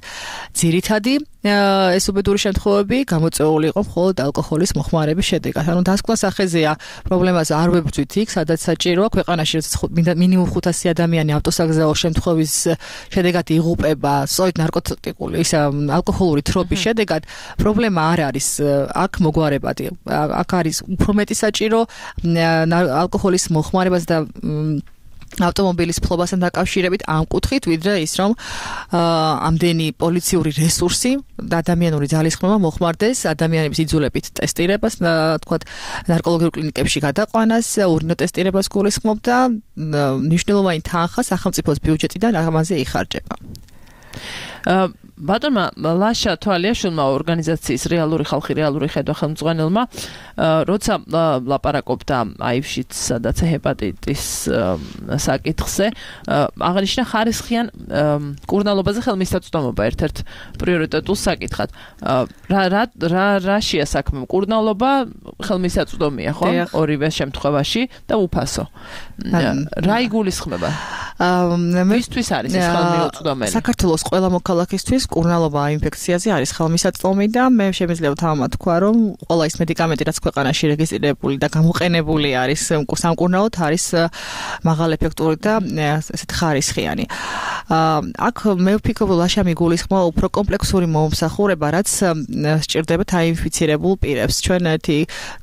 ძირითადი ეს უბედური შემთხვევები გამოწვეული იყო მხოლოდ ალკოჰოლის მოხმარების შედეგად. ანუ დასკვნა სახეზეა პრობლემას არ ვებრძვით იქ, სადაც საჭიროა ქვეყანაში მინიმუმ ხუთასი ადამიანი ავტოსაგზაო შემთხვევის შედეგად იღუპება სწორედ ნარკოტიკული ის ალკოჰოლური თრობის შედეგად. პრობლემა არ არის აქ მოგვარებადი. აქ არის უფრო მეტი საჭირო ალკოჰოლის მოხმარებას და ავტომობილის ფლობასთან დაკავშირებით ამ კუთხით, ვიდრე ის, რომ ამდენი პოლიციური რესურსი და ადამიანური ძალისხმევა მოხმარდეს ადამიანების იძულებით ტესტირებას, თქვათ, ნარკოლოგიურ კლინიკებში გადაყვანას, ურინო ტესტირებას გულისხმობ და მნიშვნელოვანი თანხა სახელმწიფოს ბიუჯეტიდან ამაზე იხარჯება. ბატონმა ლაშა თვალიაშვილმა ორგანიზაციის რეალური ხალხი რეალური ხედვა ხელმძღვანელმა როცა ლაპარაკობდა აივშიც სადაც ჰეპატიტის საკითხზე აღნიშნა ხარისხიან კურნალობაზე ხელმისაწვდომობა ერთ-ერთ პრიორიტეტულ საკითხად რა რა რა რაშია საქმე კურნალობა ხელმისაწვდომია ხო ორივე შემთხვევაში და უფასო რა იგულისხმება მისთვის არის ეს ხელმისაწვდომელი საქართველოს ყველა მოქალაქისთვის კურნალობა ინფექციაზე არის ხელმისაწვდომი და მე შემიძლია თამამთქვა რომ ყველა ის მედიკამენტი რაც ქვეყანაში რეგისტრირებული და გამოყენებული არის სამკურნალოდ არის მაღალეფექტური და ესეთ ხარისხიანი. აქ მე ვფიქრობ ლაშა მიგულისხმობა უფრო კომპლექსური მომსახურება რაც სჭირდება აინფიცირებულ პირებს. ჩვენ ერთი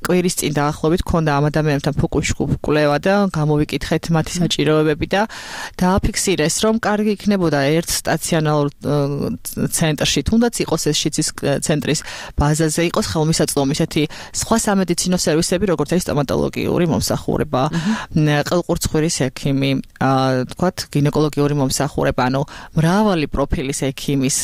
კვირის წინ დაახლოებით ქონდა ამ ადამიანებთან ფოკუსში კვლევა და გამოვიკითხეთ მათი საჭიროებები და დააფიქსირეს რომ კარგი იქნებოდა ერთ სტაციონარულ ცენტრში თუნდაც იყოს ეს შიცის ცენტრის ბაზაზე იყოს ხელმისაწვდომი ესეთი სხვა სამედიცინო სერვისები როგორც არის სტომატოლოგიური მომსახურება, ყელყურცხვირის ექიმი, თქვათ გინეკოლოგიური მომსახურება, ანუ მრავალი პროფილის ექიმის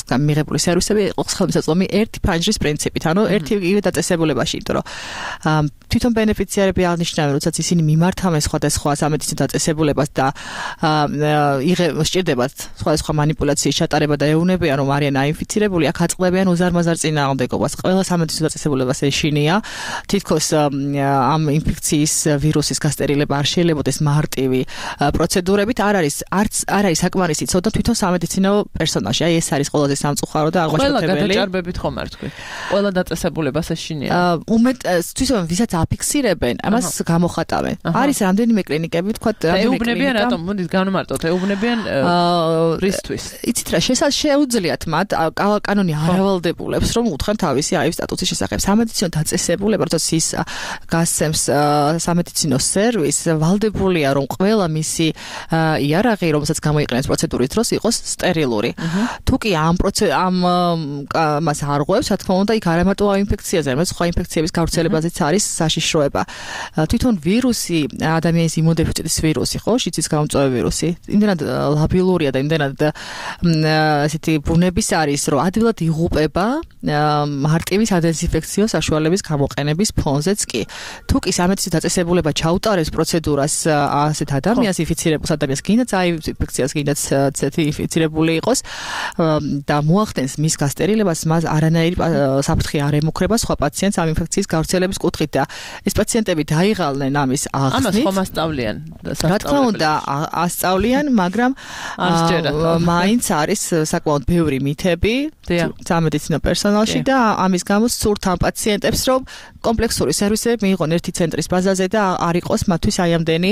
მიღებული სერვისები იყოს ხელმისაწვდომი ერთი ფანჯრის პრინციპით, ანუ ერთი იგივე დაწესებულებაში, იმიტომ რომ თვითონ ბენეფიციარები აღნიშნავენ, როდესაც ისინი მიმართავენ სხვადასხვა სამედიცინო დაწესებულებას და სჭირდებათ სხვადასხვა манипуляციის ჩატარება და ეუბნებიან, რომ არიან აინფიცირებული, აქ აწყდებიან უზარმაზარ წინააღმდეგობას. ყველა სამედიცინო დაწესებულებას ეშინია, თითქოს ამ ინფექციის ვირუსის გასტერილება არ შეიძლებაოდეს მარტივი პროცედურებით, არ არის არც არ არის საკმარისი ცოდნა თვითონ სამედიცინო პერსონალში. აი ეს არის ყველაზე სამწუხარო და აღმაშფოთებელი. ყველა გადაჭარბებით ხომ არ თქვი. ყველა დაწესებულებას ეშინია. უმეტ თვითონ ვისაც აფიქსირებენ, ამას გამოხატავენ. არის რამდენიმე კლინიკები, თქვათ, რამდენიმე კლინიკა. ეუბნებიან რატომ? მოდით განვმარტოთ, ეუბნებიან რისთვის? იცით რა, შეუძლიათ მათ კანონი არავალდებულებს, რომ უთხრან თავისი აი სტატუსის შესახებ. სამედიცინო დაწესებულება, როდესაც ის გასცემს სამედიცინო სერვისს, ვალდებულია, რომ ყველა მისი იარაღი, რომელსაც გამოიყენებს პროცედურის დროს, იყოს სტერილური. თუ კი ამ ამ მას არ ღვევს, რა თქმა უნდა, იქ არა მარტო ინფექციაზე, არამედ სხვა ინფექციების გავრცელებაზეც არის საშიშროება. თვითონ ვირუსი, ადამიანის იმუნოდეფიციტის ვირუსი, ხო, შიცის გამომწვევი ვირუსი, იმდენად ლაბილურია და იმდენად ასეთი ბუნების არის, რომ ადვილად იღუპება მარტივი სადეზინფექციო საშუალების გამოყენების ფონზეც კი. თუ კი სამედიცინო დაწესებულება ჩაუტარებს პროცედურას ასეთ ადამიანს ინფიცირებულს ადამიანს, კიდაც აი ინფექციას კიდაც ცეთი ინფიცირებული იყოს და მოახდენს მის გასტერილებას, მას არანაირი საფრთხე არ ემუქრება სხვა პაციენტს ამ ინფექციის გავრცელების კუთხით და ეს პაციენტები დაიღალნენ ამის აღსნით. ამას ხომ ასწავლიან? რა თქმა უნდა, ასწავლიან, მაგრამ მაინც არის საკმაოდ ბევრი მითები სამედიცინო პერსონალში და ამის გამო სურთ ამ პაციენტებს, რომ კომპლექსური სერვისები მიიღონ ერთი ცენტრის ბაზაზე და არ იყოს მათთვის აი ამდენი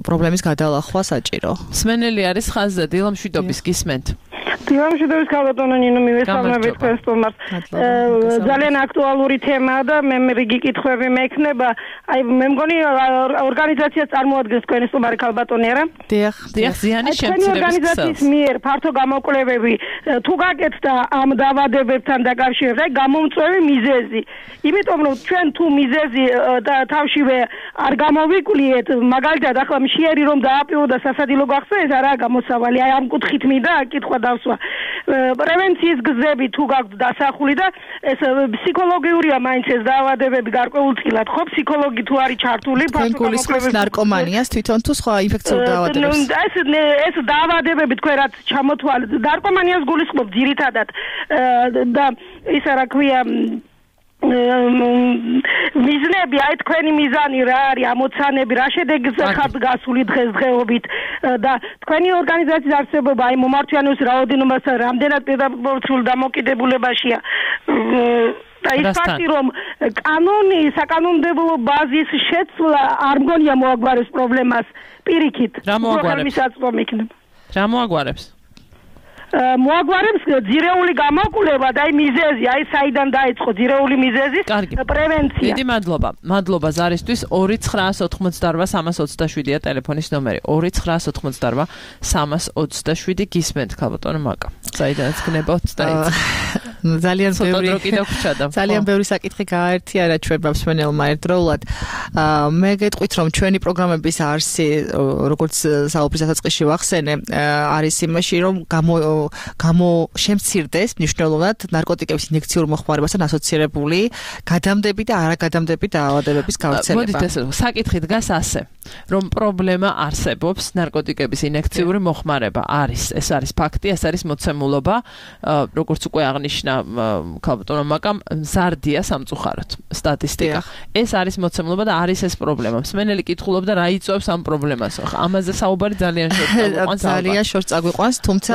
პრობლემის გადალახვა საჭირო. სმენელი არის ხაზზე, დილა მშვიდობის გისმენთ. დილამშვიდობის ქალბატონო ნინო მივესალმებით თქვენს სტუმარს. ძალიან აქტუალური თემაა და მე რიგი კითხვები მექნება. აი მე მგონი ორგანიზაციას წარმოადგენს თქვენი სტუმარი ქალბატონი არა? დიახ, დიახ, ზიანის შემცირების ორგანიზაციის მიერ ფართო გამოკვლევები თუ გაკეთდა ამ დაავადებებთან დაკავშირებით, აი გამომწვევი მიზეზი. იმიტომ რომ ჩვენ თუ მიზეზი თავშივე არ გამოვიკვლიეთ, მაგალითად ახლა მშიერი რომ დააპირო და სასადილო გახსნა, ეს არაა გამოსავალი. აი ამ კუთხით მინდა კითხვა დავსვა. პრევენციის გზები თუ გაქვთ დასახული და ეს ფსიქოლოგიურია მაინც ეს დაავადებები გარკვეულწილად, ხო, ფსიქოლოგი თუ არის ჩართული, ფასკულისხმის ნარკომანიას თვითონ თუ სხვა ინფექციურ დაავადებებს. ეს ეს დაავადებები თქვენ რაც ჩამოთვალეთ, ნარკომანიას გულისხმობ ძირითადად და ისა რა ქვია მიზნები, აი თქვენი მიზანი რა არის, ამოცანები, რა შედეგს ხართ გასული დღესდღეობით და თქვენი ორგანიზაციის არსებობა აი მომართვიანობის რაოდენობასთან რამდენად პირდაპირ დამოკიდებულებაშია და ის ფაქტი რომ კანონი, საკანონმდებლო ბაზის შეცვლა არ მგონია მოაგვარებს პრობლემას პირიქით. რა მოაგვარებს? რა მოაგვარებს? მოაგვარებს ძირეული გამოკვლევა და აი მიზეზი, აი საიდან დაიწყო ძირეული მიზეზის პრევენცია. დიდი მადლობა. მადლობა ზარისთვის. ორი ცხრაას ოთხმოცდაარბა სამას ოცდაშვიდია ტელეფონის ნომერი. ორი ცხრაას ოთხმოცდაარბა სამას ოცდაშვიდი გისმენთ ქალბატონო მაკა. საიდანაც გნებავთ დაიწყო. ძალიან ბევრი ძალიან ბევრი საკითხი გააერთიანა ჩვენ მსმენელმა ერთდროულად. მე გეტყვით რომ ჩვენი პროგრამების არსი, როგორც საუბრის დასაწყისში ვახსენე, არის იმაში რომ გამო გამო შემცირდეს მნიშვნელოვნად ნარკოტიკების ინიექციურ მოხმარებასთან ასოცირებული გადამდები და არაგადამდები დაავადებების გავრცელება. მოდით ესე საკითხი დგას ასე, რომ პრობლემა არსებობს ნარკოტიკების ინიექციური მოხმარება არის. ეს არის ფაქტი, ეს არის მოცემულობა, როგორც უკვე აღნიშნა ქალბატონო მაკამ, მზარდია სამწუხაროდ სტატისტიკა. ეს არის მოცემულობა და არის ეს პრობლემა. მსმენელი კითხულობდა რა იწვევს ამ პრობლემას. ამაზე საუბარი ძალიან შორს ძალიან შორს წაგვიყვანს, თუმცა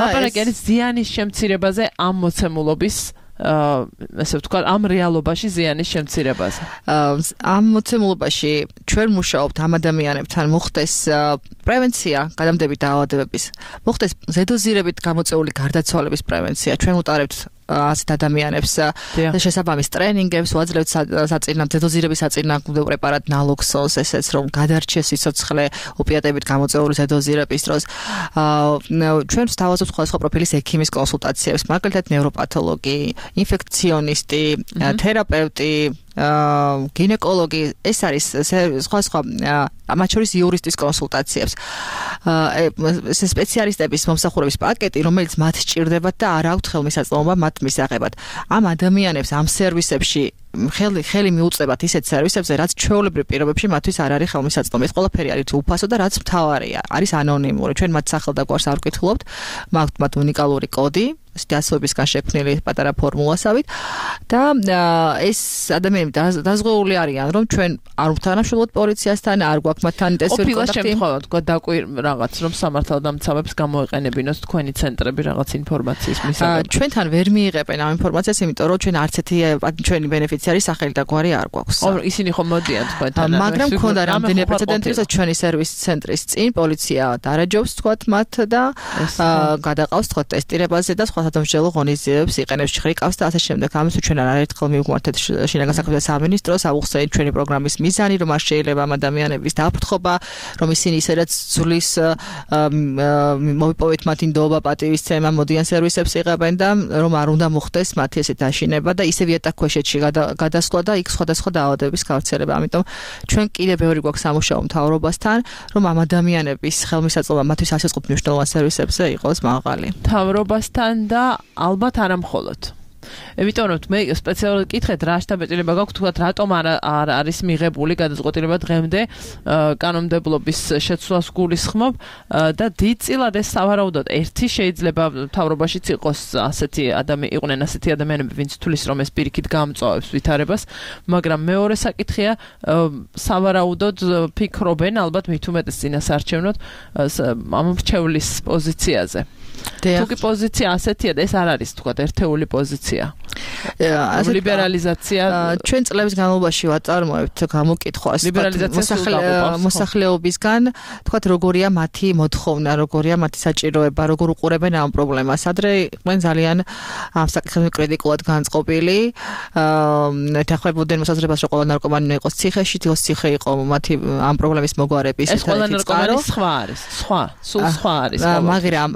ეს ზიანის შემცირებაზე ამ მოცემულობის ასე ვთქვათ, ამ რეალობაში ზიანის შემცირებაზე. ამ მოცემულობაში ჩვენ მუშაობთ ამ ადამიანებთან, მოხდეს პრევენცია გადამდები დაავადებების, მოხდეს ზედოზირებით გამოწვეული გარდაცვალების პრევენცია. ჩვენ უტარებთ ასეთ ადამიანებს შესაბამის ტრენინგებს, ვაძლევთ საწინააღმდეგო ზედოზირების საწინააღმდეგო პრეპარატ ნალოქსონს, ესეც რომ გადარჩეს სიცოცხლე ოპიატებით გამოწვეული ზედოზირების დროს. ჩვენ ვსთავაზობთ სხვადასხვა პროფილის ექიმის კონსულტაციებს, მაგალითად ნევროპათოლოგი, ინფექციონისტი, თერაპევტი, გინეკოლოგი ეს არის სხვა სხვა მათ შორის იურისტის კონსულტაციებს ეს სპეციალისტების მომსახურების პაკეტი რომელიც მათ სჭირდებათ და არ აქვთ ხელმისაწვდომობა მათ მისაღებად ამ ადამიანებს ამ სერვისებში ხელი ხელი მიუწევათ ისეთ სერვისებზე რაც ჩვეულებრივ პირობებში მათთვის არ არის ხელმისაწვდომი ეს ყველაფერი არის უფასო და რაც მთავარია არის ანონიმური ჩვენ მათ სახელ და გვარს არ ვკითხულობთ მაქვთ მათ უნიკალური კოდი დასვებისგან შექმნილი პატარა ფორმულასავით და ეს ადამიანები დაზღვეული არიან რომ ჩვენ არ ვთანამშრომლობთ პოლიციასთან არ გვაქვს მათთან ტელეფონი ყოფილა შემთხვევა თქვა დაკვირ რაღაც რომ სამართალდამცავებს გამოეყენებინოს თქვენი ცენტრები რაღაც ინფორმაციის მისაღებად ჩვენთან ვერ მიიღებენ ამ ინფორმაციას იმიტომ რომ ჩვენ არც ერთი ჩვენი ბენეფიციარის სახელი და გვარი არ გვაქვს ო ისინი ხომ მოდიან თქვენთან მაგრამ მქონდა რამდენიმე პრეცედენტი რომ ჩვენი სერვის ცენტრის წინ პოლიცია დარაჯობს თქვათ მათ და გადაყავს თქვათ ტესტირებაზე და სხვა სადამსჯელო ღონისძიებებს იყენებს ხრიკავს და ასე შემდეგ. ამის ჩვენ არაერთხელ მივგვართეთ შინაგან საქმეთა სამინისტროს აუხსენეთ ჩვენი პროგრამის მიზანი, რომ არ შეიძლება ამ ადამიანების დაფრთხობა, რომ ისინი ისედაც ძვლის მოვიპოვეთ მათი ნდობა, პატივისცემა, მოდიან სერვისებს იღებენ და რომ არ უნდა მოხდეს მათი ესეთ აშინება და ისევ იატაკქვეშეთში გადასვლა და იქ სხვადასხვა დაავადებების გავრცელება. ამიტომ ჩვენ კიდევ ბევრი გვაქვს სამუშაო მთავრობასთან, რომ ამ ადამიანების ხელმისაწვდომობა მათთვის ასეწყობ მნიშვნელოვან სერვისებზე იყოს მაღალი. მთავრობასთან და ალბათ არა მხოლოდ. Იმიტომ რომ მე სპეციალურად კითხეთ რა შტაბ-ეჭილება გაქვთ თქვათ რატომ არ არის მიღებული გადაწყვეტილება დღემდე კანონმდებლობის შეცვლას გულისხმობ და დიდწილად ეს სავარაუდოდ ერთი შეიძლება მთავრობაშიც იყოს ასეთი ადამიანი იყვნენ ასეთი ადამიანები ვინც თulis რომ ეს პირიქით გამწვავებს ვითარებას მაგრამ მეორე საკითხია სავარაუდოდ ფიქრობენ ალბათ მით უმეტეს წინასაარჩევნოდ ამ მრჩევლის პოზიციაზე თუკი პოზიცია ასეთია და ეს არ არის თქვათ ერთეული პოზიცია ლიბერალიზაცია ჩვენ წლების განმავლობაში ვაწარმოებთ გამოკითხვას მოსახლეობისგან თქვათ როგორია მათი მოთხოვნა როგორია მათი საჭიროება როგორ უყურებენ ამ პრობლემას ადრე იყვნენ ძალიან ამ საკითხებზე კრიტიკულად განწყობილი ეთანხმებოდნენ მოსაზრებას რომ ყველა ნარკომანი იყოს ციხეში თოს ციხე იყო მათი ამ პრობლემის მოგვარების ეს ყველა ნარკომანი სხვა არის სხვა სულ სხვა არის მაგრამ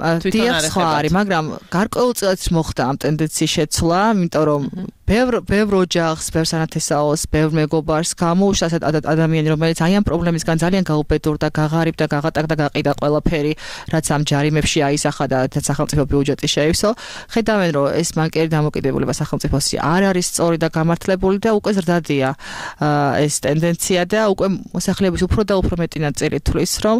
სხვა არის მაგრამ გარკვეულწილად მოხდა ამ ტენდენციის შეცვლა იმიტომ რომ ბევრ ბევრ ოჯახს, ბევრ სანათესაოს, ბევრ მეგობარს გამოუშვა ადამიანი, რომელიც აი ამ პრობლემისგან ძალიან გაუბედურდა, გაღარიბდა, გაღატაკდა, გაყიდა ყველაფერი, რაც ამ ჯარიმებში აისახა და სახელმწიფო ბიუჯეტი შეივსო. ხედავენ, რომ ეს მანკერი დამოკიდებულება სახელმწიფოსი არ არის სწორი და გამართლებული და უკვე ზრდადია ეს ტენდენცია და უკვე მოსახლეობის უფრო და უფრო მეტი ნაწილი თვლის, რომ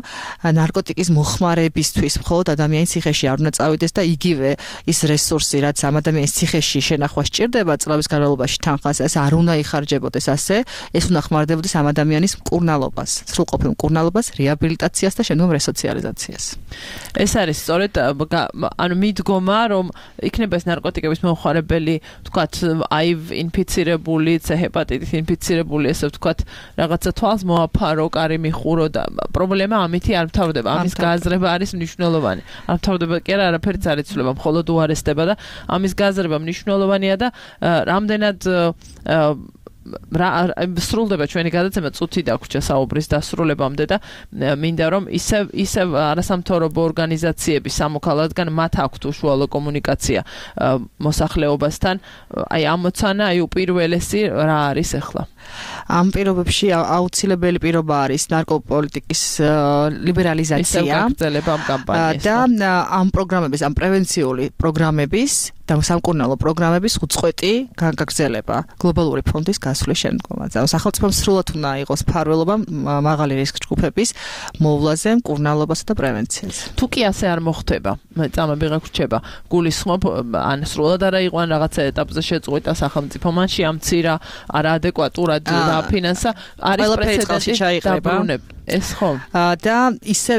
ნარკოტიკის მოხმარებისთვის მხოლოდ ადამიანის ციხეში არ უნდა წავიდეს და იგივე ის რესურსი, რაც ამ ადამიანის ციხეში შენახვა სჭირდება, წლების განმავლობაში თანხას ეს არ უნდა იხარჯებოდეს ასე, ეს უნდა ხმარდებოდეს ამ ადამიანის მკურნალობას, სრულყოფილ მკურნალობას, რეაბილიტაციას და შემდგომ რესოციალიზაციას. ეს არის სწორედ ანუ მიდგომა, რომ იქნება ეს ნარკოტიკების მომხმარებელი, თქვათ, აივ ინფიცირებული, C ჰეპატიტით ინფიცირებული, ესე ვთქვათ, რაღაცა თვალს მოაფარო, კარი მიხურო და პრობლემა ამითი არ მთავრდება. ამის გააზრება არის მნიშვნელოვანი. არ მთავრდება კი არა, არაფერიც არ იცვლება, მხოლოდ უარესდება და ამის გააზრება მნიშვნელოვანია და რამდენად რა სრულდება ჩვენი გადაცემა წუთი დაგვრჩა საუბრის დასრულებამდე და მინდა რომ ისევ ისევ არასამთავრობო ორგანიზაციების სამოქალაქგან მათ აქვთ უშუალო კომუნიკაცია მოსახლეობასთან აი ამოცანა აი უპირველესი რა არის ახლა ამ პირობებში აუცილებელი პირობა არის ნარკოპოლიტიკის ლიბერალიზაცია და ამ პროგრამების ამ პრევენციული პროგრამების და სამკურნალო პროგრამების უწყვეტი გაგრძელება გლობალური ფონდის გასვლის შემდგომაც. სახელმწიფომ სრულად უნდა იყოს მფარველობა მაღალი რისკ ჯგუფების მოვლაზე, მკურნალობასა და პრევენციაზე. თუ კი ასე არ მოხდება, წამები გაგვრჩება, გულისხმობ ან სრულად არა იყო ან რაღაცა ეტაპზე შეწყვეტა სახელმწიფო მანში ამცირა არაადეკვატურად დაფინანსა არის პრეცედენტი დაბრუნებ. ეს ხო. და ისე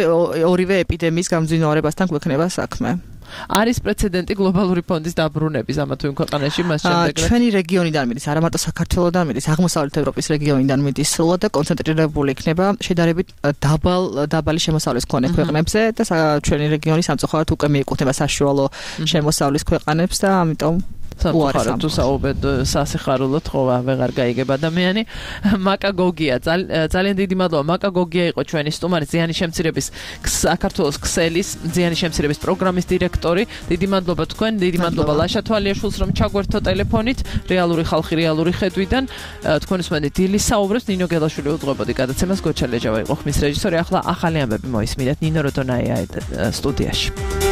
ორივე ეპიდემიის გამძვინვარებასთან გვექნება საქმე. არის პრეცედენტი გლობალური ფონდის დაბრუნების ამა თუ იმ ქვეყანაში მას შემდეგ ჩვენი რეგიონიდან მიდის არა მარტო საქართველოსდან მიდის აღმოსავლეთ ევროპის რეგიონიდან მიდის სრულად და კონცენტრირებული იქნება შედარებით დაბალ დაბალი შემოსავლის მქონე ქვეყნებზე და ჩვენი რეგიონი სამწუხაროდ უკვე მიეკუთვნება საშუალო შემოსავლის ქვეყანებს და ამიტომ სამწუხაროდ თუ საუბედ სასიხარულოდ ხოვა ვეღარ გაიგებ ადამიანი. მაკა გოგია ძალიან დიდი მადლობა. მაკა გოგია იყო ჩვენი სტუმარი, ზიანის შემცირების საქართველოს ქსელის ზიანის შემცირების პროგრამის დირექტორი. დიდი მადლობა თქვენ, დიდი მადლობა ლაშა თვალიაშვილს რომ ჩაგვერთო ტელეფონით, რეალური ხალხი რეალური ხედვიდან. თქვენ უსმენთ დილის საუბრებს, ნინო გელაშვილი უძღვებოდი გადაცემას, გოჩა ლეჯავა იყო ხმის რეჟისორი. ახლა ახალი ამბები მოისმინეთ ნინო როდონაია სტუდიაში.